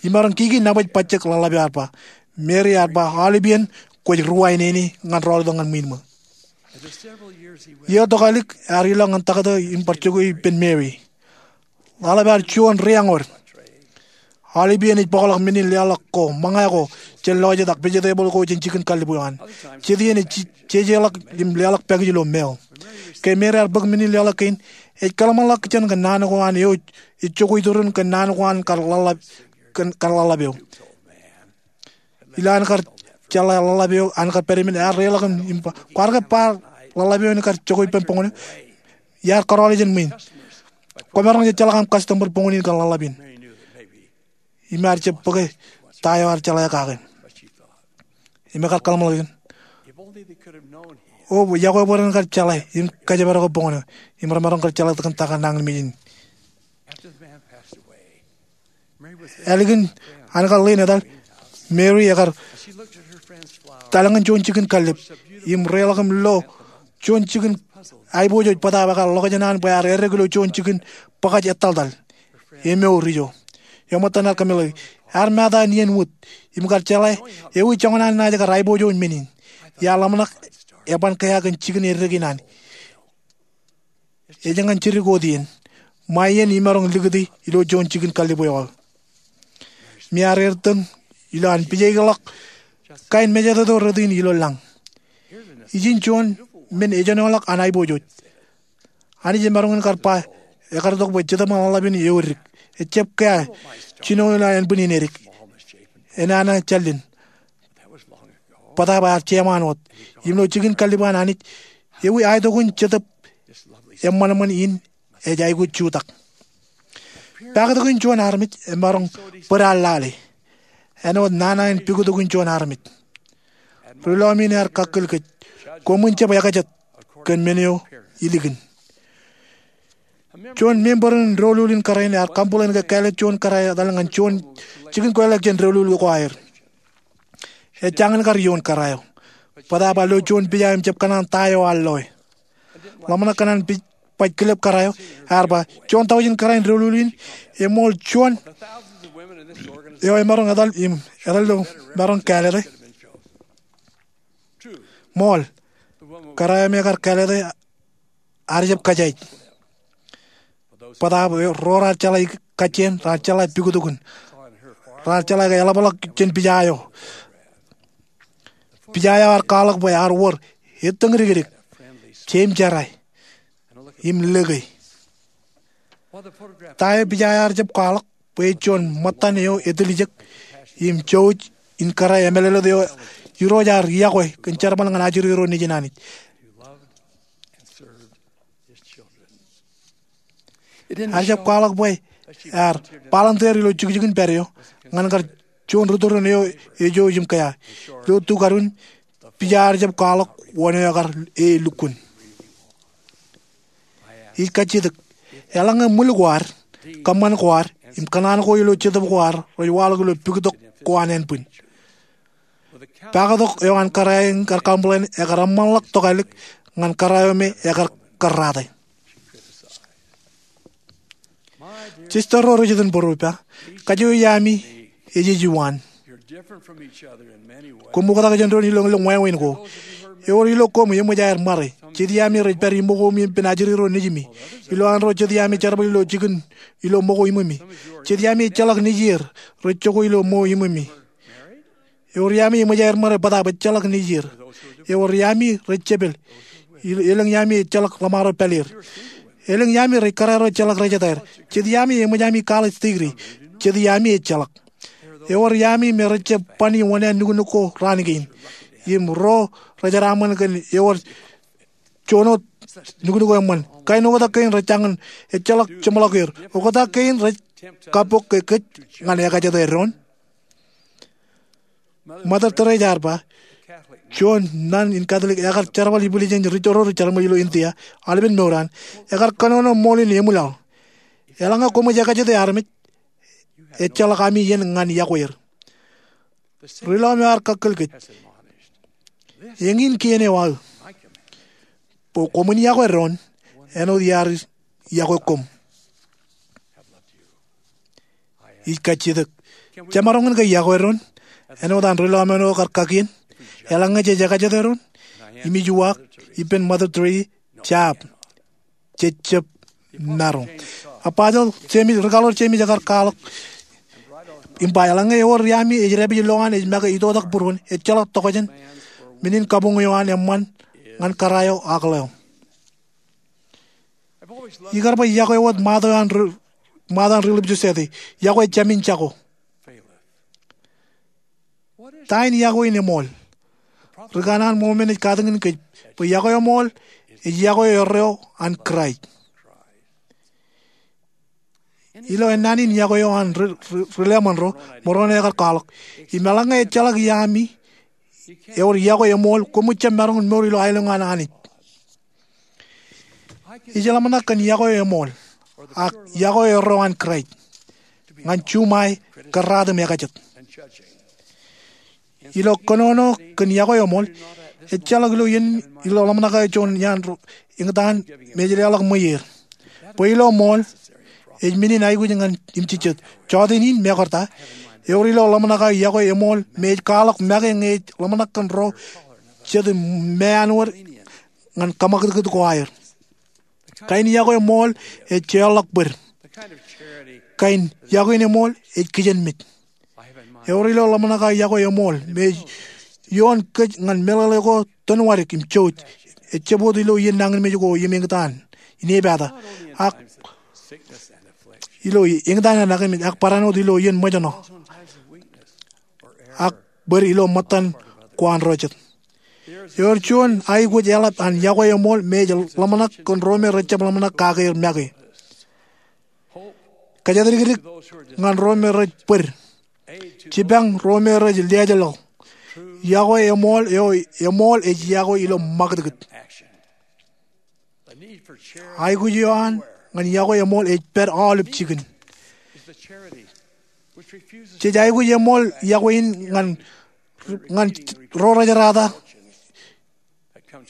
Imaroñ kiki nabōj bajjek ḷōḷḷap eo ear ba. Meri ear ba, Aolep iien kwōj ruwainene ñan rọọltok ñan ṃwiin ṃō. Iiō tokālik ear ilọk ñan taktō im bar jokwe ippān Meri. Ḷōḷḷap ear juon ri-āñod. Aolep iien ej bōkḷọk men in leḷọk ko ṃōñā ko jān lọjet ak vegetable ko jān jikin kallib eo an. Jet iien ej jejeḷọk im leḷọk pakij ilo mail. Ke Meri ear bōk men in leḷọk kein, ej kōḷmānḷọkjeṇ kōn naan ko an eo ej jokwe iturin kōn naan ko an kar ḷōḷḷap eo. Ilo an kar jeḷā ḷōḷḷap eo an kar pād im ear reḷọk im ba, Kwaar ke bar ḷōḷḷap eo en kar jokwe ippān boñōn eo? Iar kōrọọl jān ṃwiin. Kwōmaroñ jejjeḷọk aṃ customer boñōn in kōn ḷōḷḷap in. Im ear jab bōke ta eo ear jeḷā kake. Im ekar kōḷmānḷọkjeṇ, O, yokwe bwe ren kar jeḷā im kōjparok boñōn eo im remaroñ kar jeḷā kōn ta kar nañinmej in. Ālikin an kar ḷein etal, Meri ekar etal ñan juon jikin kallib im reḷọk im lo juon jikin aiboojoj bōtaab ekar ḷokjeṇ an bwe ear errek ilo juon jikin bōkaj etaltal emour ijo. Eṃōttan ear kōmeḷeḷe, ear mata iien wōt im kar jeḷā ewi joñan an naaj kar aiboojoj men in. Iar ḷōmṇak eban kea kōn jikin errek in an. Ej ñan jidik wōt iien. Ṃae iien imaroñ likūti ilo juon jikin kallib eo aō. Im ear ertōñ ilo an pijaikḷọk kain mejatoto rot in ilo lañ. Ijin juon men ejenoḷọk an aiboojoj. Anij emaroñ in kar ba ekar tok bwe Jetōb ñan Ḷōḷḷap in eo edik. Ejab kea jino ilo ānbwin in edik. Enana jālin bōtaab ear jeṃaan wōt. Im ilo jikin kallib an Anij, ewi aetok in Jetōb eṃṃanṃan in ej aikuj jutak. Paktok in juon armej emaroñ bōd an lale. Āinwōt nana in pukot in juon armej. Ri-lọmọọr in ear kakkōl kōj, koṃwin jab ekajet kōn men eo ilikin. Juon member in doulul in kōrā in ear complain ke kāālōt juon kōrā etal ñan juon jikin kweilọk jān doulul ko aer. Ej jañin kar iioon kōrā eo, bōtaab ear lo juon pija im jab kōṇaan ta eo ear loe. Ḷōmṇak kōn an pija baj kilep kōrā eo, ear ba, Juon tọujin kōrā in doulul in, eṃool juon eo emaroñ etal im etal ilo maroñ kāālōte. Ṃool, kōrā eo me ekar kāālōte ear jab kōjaij. Bōtaab ro raar jeḷā kajjien, raar jeḷā pukot in, raar jeḷā ke eḷapḷọk jān pija eo. Pija eo ear kwaḷọk bwe ear wōr ettōñdikdik, jeim jera, im lōke. Ta eo pija eo ear jab kwaḷọk bwe ej juon ṃōttan eo etiljek im jouj in kōrā emālōtlōt eo Irooj ear yokwe kōn jerbal ñan ajri ro nejin Anij. Ear jab kwaḷọk bwe ear volunteer ilo jukjukin pād eo ñan kar juon ri-tōre eo ejouj im kea. Ilo tukadun, pija ear jab kwaḷọk wōn eo ekar e lukkuun. Ij kajjitōk, eḷaññe ṃwil ko ad, kōṃṃan ko ad, im kōṇaan ko ilo jetōb ko ad rej waḷọk ilo pukot ko an ānbwin, paktok eo an kōrā in kar complain ekar eṃṃanḷọk tokālik ñan kōrā eo me ekar kōrrate. Sister ro rej iten būruō, ippa, kōjro iaami ej ejuon. Koṃ oktak jān doon ilo, ilo wāween ko. Ewōr ilo koṃ eṃōj aer ṃare. Jet iaami rej pād iṃōko im ippān ajri ro nejimi. Ilo an ro jet iaami jerbal ilo jikin ilo ṃōko iṃōmi. Jet iaami ejjeḷọk nejier rej jokwe ilo ṃōko iṃōmi. Ewōr iaami eṃōj aer ṃare bōtaab ejjeḷọk nejier. Ewōr iaami rej jepel. Elōñ iaami ejjeḷọk ḷōṃaro pālier. Elōñ iaami rej kōrā ro ejjeḷọk rejetaer. Jet iaami eṃōj ami college degree. Jet iaami ejjeḷọk. Ewōr iaami me rej jab bani wōṇāān nuknuk ko raan kein. Im ro rej jeraaṃṃan kōn ewōr juon wōt nuknuk eṃṃan. Kain oktak kein rej jañin ejjeḷọk jeṃḷọk er. Oktak kein rej kappok ke kōj ñan ekajete doon. Mother Teresa ear ba, juon nun in Catholic ekar jerbal ibwiljān ri-tōre ro rej jerṃōj ilo India aolepen mour an, ekar kōnono ṃool in eṃwilaḷ. Eḷaññe koṃij ekajete armej, ejjeḷọk ami iien ñan yokwe er. Ri-lọmọọr ear kakkōl kōj, eñin kien eo aō, bwe koṃwin yokwe doon āinwōt iar yokwe koṃ. ij kajjitōk. Jemaroñ in ke yokwe doon āinwōt an ri lọmọọr eo kar kakien? Eḷaññe jej ekajet doon, im ij uwaak ippān Mother Teresa, jab. Jej jab maroñ. Ak Bajar James, ri-kaḷoor James ekar kwaḷọk im ba, eḷaññe ewōr iaami ej dāpij lowaan ej make itoitak būruon, ejjeḷọk tokjān men in kabuñ eo an eṃṃan ñan kōrā eo ak ḷeo. Ikar ba yokwe wōt ṃaat eo an ri-, ṃaat an Relief Society, yokwe jāmin jako. Ta in yokwe in eṃool? Ri-kanaan Mōrmon ej katakin kōj bwe yokwe eṃool ej yokwe erreo an Kraist. Ilo ennaan in yokwe eo an ri, ri, ri-lọmọọr ro, Moroni ekar kwaḷọk, im eḷaññe ejjeḷọk iaami ewōr yokwe eṃool, koṃij jab maroñ in mour ilo aelōñ an Anij. Ij ḷōmṇak kōn yokwe eṃool, ak yokwe erreo an Kraist, ñan juṃae kōrraat im ekajet. Ilo kōnono kōn yokwe eṃool, ejjeḷọk ilo iien, ilo ḷōmṇak eo juon iaan ro eñtaan me ej leḷọk ṃweier. Bwe ilo ṃool, ej men in aikuj ñan im jijet. Jọteen in, mekarta, ewōr ilo ḷōmṇak eo yokwe eṃool me ej kwaḷọk make ñe ej ḷōmṇak kōn ro jet im meanwōd ñan kōṃakūtkūt ko aer. Kain yokwe eṃool ej jeorḷọk bōd. Kain yokwe in eṃool ej kijenmej. Ewōr ilo ḷōmṇak eo yokwe eṃool me ej ioon kōj ñan meḷeḷe ko tōnwadik im jouj. Ejjab wōt ilo iien nañinmej ko im eñtaan, inepata, ak ilo eñtaan im nañinmej, ak barāinwōt ilo iien ṃōjṇọ, ak bōd ilo ṃōttan ko an ro jet. Ewōr juon aikuj eḷap an yokwe eṃool me ej ḷōmṇak kōn ro me rejjab ḷōmṇak kake er make. Kōjatdikdik ñan ro me rej bōd. Jipañ ro me rej liaajlọk. Yokwe eṃool eo, eṃool ej yokwe ilo ṃakūtkūt. Aikuj eo an ñan yokwe eṃool ej pād aolep jikin. Jej aikuj eṃool yokwe in ñan, ñan ro rejerata.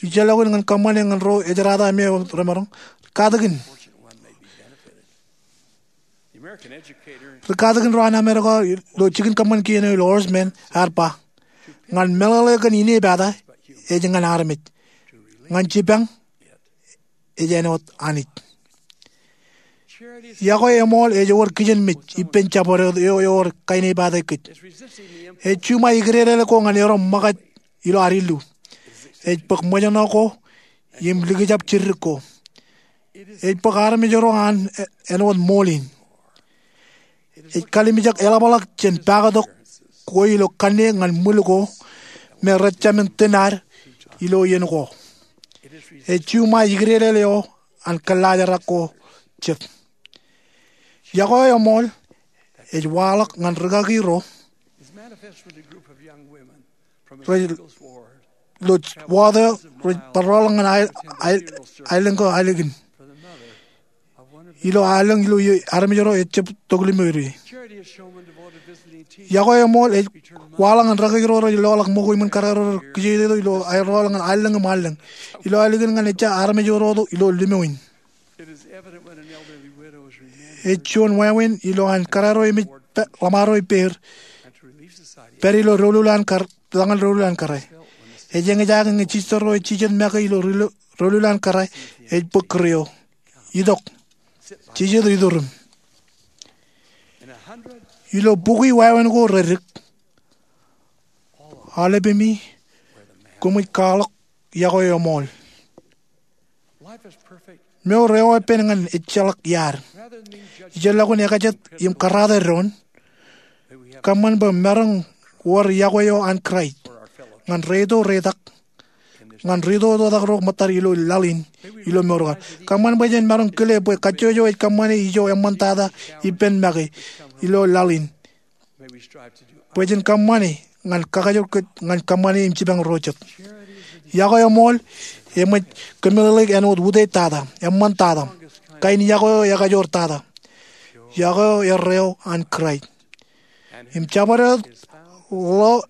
Ijellọkin ñan kōṃṃane ñan ro ejerata me remaroñ. Katakin. Ri katakin ro an Amerika ilo jikin kōṃṃan kien eo ilo Horsman ear ba, ñan meḷeḷe kōn inepata ej ñan armej. Ñan jipañ ej āinwōt Anij. Yokwe eṃool ej wōr kijenmej ippān jabdewōt eo ewōr kainepata kōj. Ej juṃae ikdedeḷọk ko ñan erom ṃōkaj ilo ad illu. Ej bōk ṃōjṇọ ko im likjab jidik ko. Ej bōk armej ro an āinwōt ṃool in. Ej kalimjek eḷapḷọk jān pakatok ko ilo kanniōk ñan ṃwil ko me rejāmin tōn ad ilo iien ko. Ej juṃae ikdedeḷọk eo an kōllaajrak ko jet. Yokwe eṃool ej waḷọk ñan rikaki ro rej lo wōt eo rej bar rọọl ñan aelōñ ko Aelikin. Ilo aelōñ ilo iien armej ro ejjab tok limo ri. Yokwe eṃool ej waḷọk ñan rikaki ro rej loḷọk ṃōko iṃōn kōrā ro rej kijeitōk ilo aer rọọl ñan aelōñ im aelōñ. Ilo Aelikin ñan ejja armej ro tok ilo limo in. Ej juon wāween ilo an kōrā ro im ej ḷōṃaro ippāer pād ilo doulul an kōrā, lañin doulul an kōrā. Ej eñjake ñe jijet ro ej jijet make ilo doulul an kōrā ej bōk kūr eo. Itok. Jijet iturim. Ilo bukwi wāween ko redik, aolepemi koṃij kwaḷọk yokwe eṃool. Mour eo epen ñan ejjeḷọk iaad. Ijellọkin ekajet im kōrata doon, kōṃṃan bwe maroñ wōr yokwe eo an Kraist ñan ri-ito ri-itak, ñan ri-ito ri-itak ro ṃōttad ilo laḷ in, ilo mour ko ad. Kōṃṃan bwe jen maroñ kile bwe kajjojo ej kōṃṃane ijo eṃṃantata ippān make ilo laḷ in. Bwe jen kōṃṃane ñan kakajoor kōj ñan kōṃṃane im jipañ ro jet. Yokwe eṃool eṃōj kōmeḷeḷeik āinwōt utiej tata, eṃṃantata, kain yokwe eo ekajoor tata. Yokwe eo erreo an Kraist. Im jabdewōt ḷeo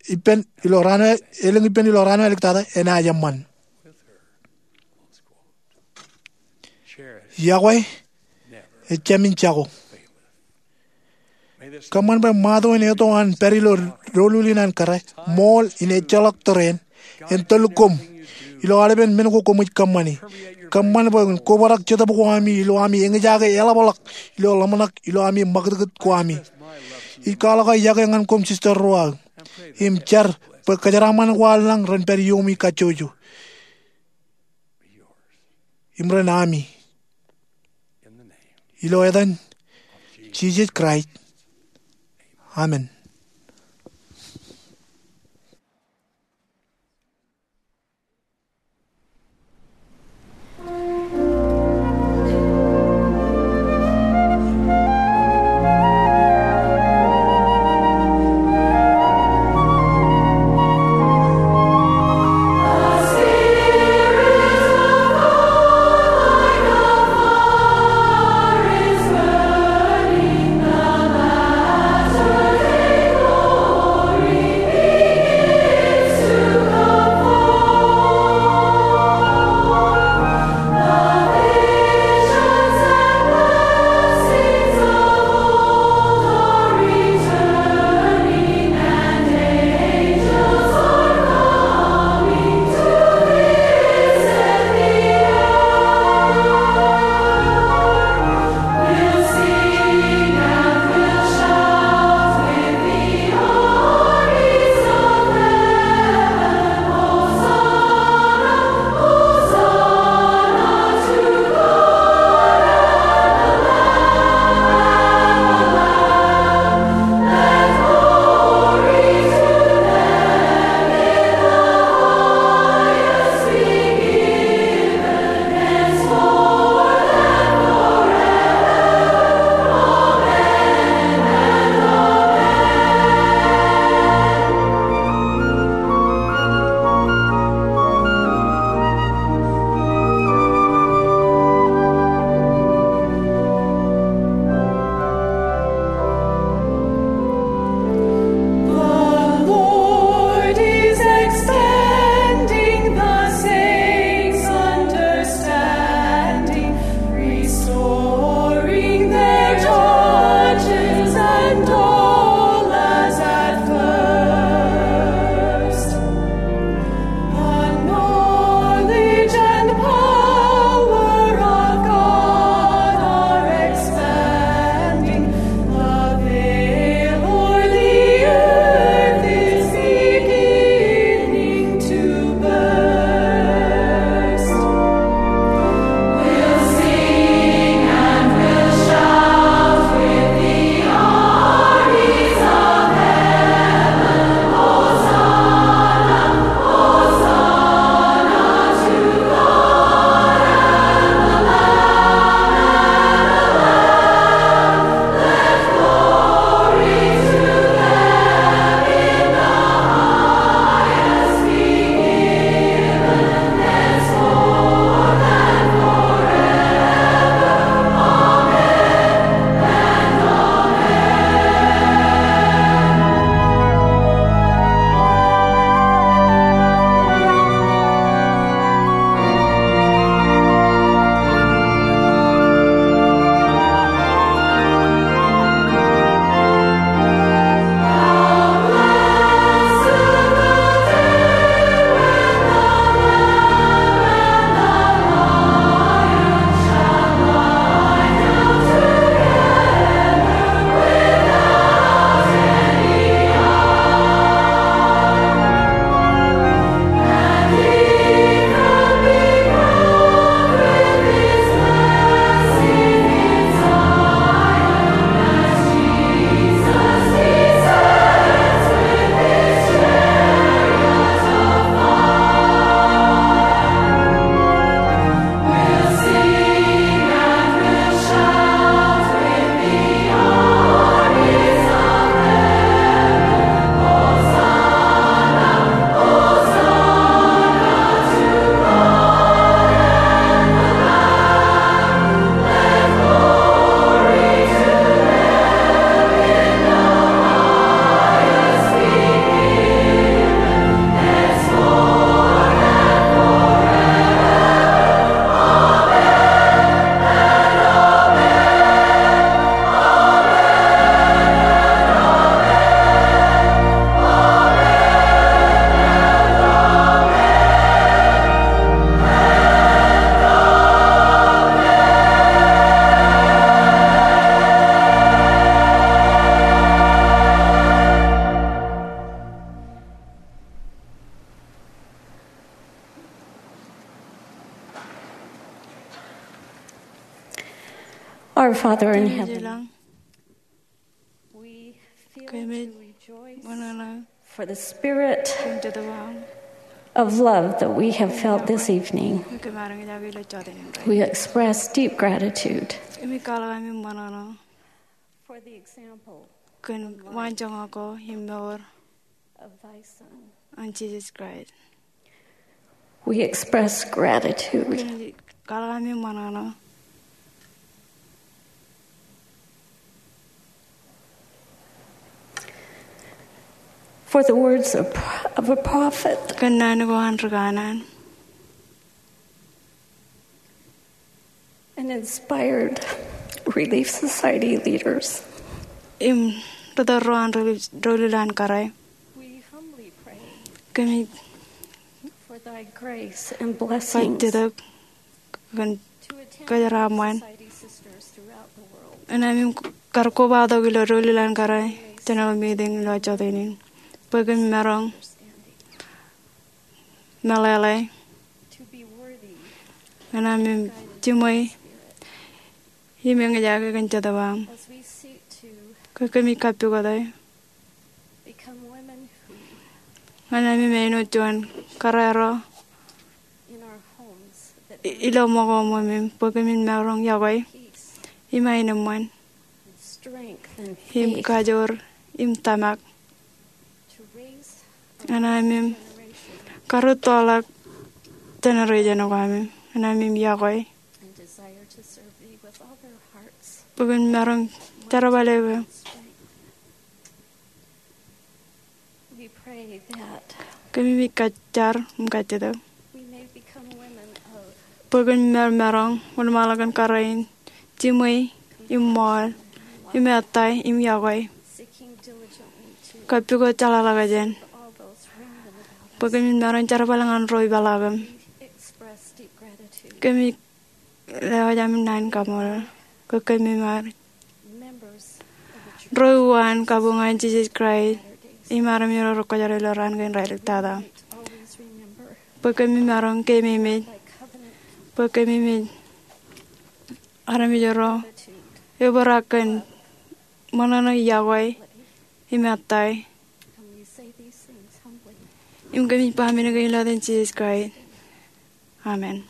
ippān ilo raan eo, elōñ ippān ilo raan eo āliktata enaaj eṃṃan. Yokwe ejāmin jako. Kōṃṃan bwe ṃato in eto an pād ilo doulul in an kōrā, ṃool in ejjeḷọk tōre in, en tōl koṃ ilo aolepen men ko koṃij kōṃṃani. Kōṃṃan bwe en kobrak jetōb ko ami ilo ami eñjake eḷapḷọk ilo ḷōmṇak ilo ami ṃakūtkūt ko ami. Ij kwaḷọk aō iọkwe ñan koṃ, Sister Roa, im jar bwe kōjeraaṃṃan ko an lañ ren pād iuomi kajjojo im ren ami. Ilo etan Jisōs Kraist, amen. Our Father in heaven, we feel to rejoice for the spirit of love that we have felt this evening. We express deep gratitude for the example kōn waanjoñak ko im mour of thy Son, an Jisōs Kraist. We express gratitude. Kōn kwaḷọk ami ṃōṇōṇō for the words of, of a prophet, kōn naan ko an ri kanaan, and inspired Relief Society leaders. Im ri tōl ro an Relief, Relief Society kōrā. We humbly pray, kōmij for thy grace and blessings, kajjitōk kōn kōjeraaṃṃan. Ñan ami kar kobatok ilo Relief Society kōrā, general meeting ilo jota in, bwe kōmij maroñ meḷeḷe ñan ami jiṃwe im eñjake kōn Jetōb aṃ. Ke kōmij kappukot e ñan ami āinwōt juon kōrā ro i-, ilo ṃōko ṃōmim, bwe kōmij maroñ yokwe im aenōṃṃan im kajoor im tōmak ñan ami kar rūttoḷọk generation ko ami, ñan ami yokwe bwe kōmij maroñ jerbal eok. Kōmij kajjar im kajjitōk bwe kōmij maroñ wōnṃaanḷọk kōn kōrā in jiṃwe im ṃool im ettā im yokwe, kappukot jeḷāḷọkjeṇ, bwe kōmij maroñ jerbal ñan ro ipeḷaakim. Kōmij lewōj ami naan in kaṃṃoolol ke kōmij ṃae ro uwaan kabuñ an Jisōs Kraist im armej ro rekwōjarjar ilo raan kein raelep tata, bwe kōmij maroñ keememej bwe kōmij armej ro ebōra kōn ṃōṇōṇō, yokwe im ettā. Im kōmij ba men kein ilo etan Jisōs Kraist, amen.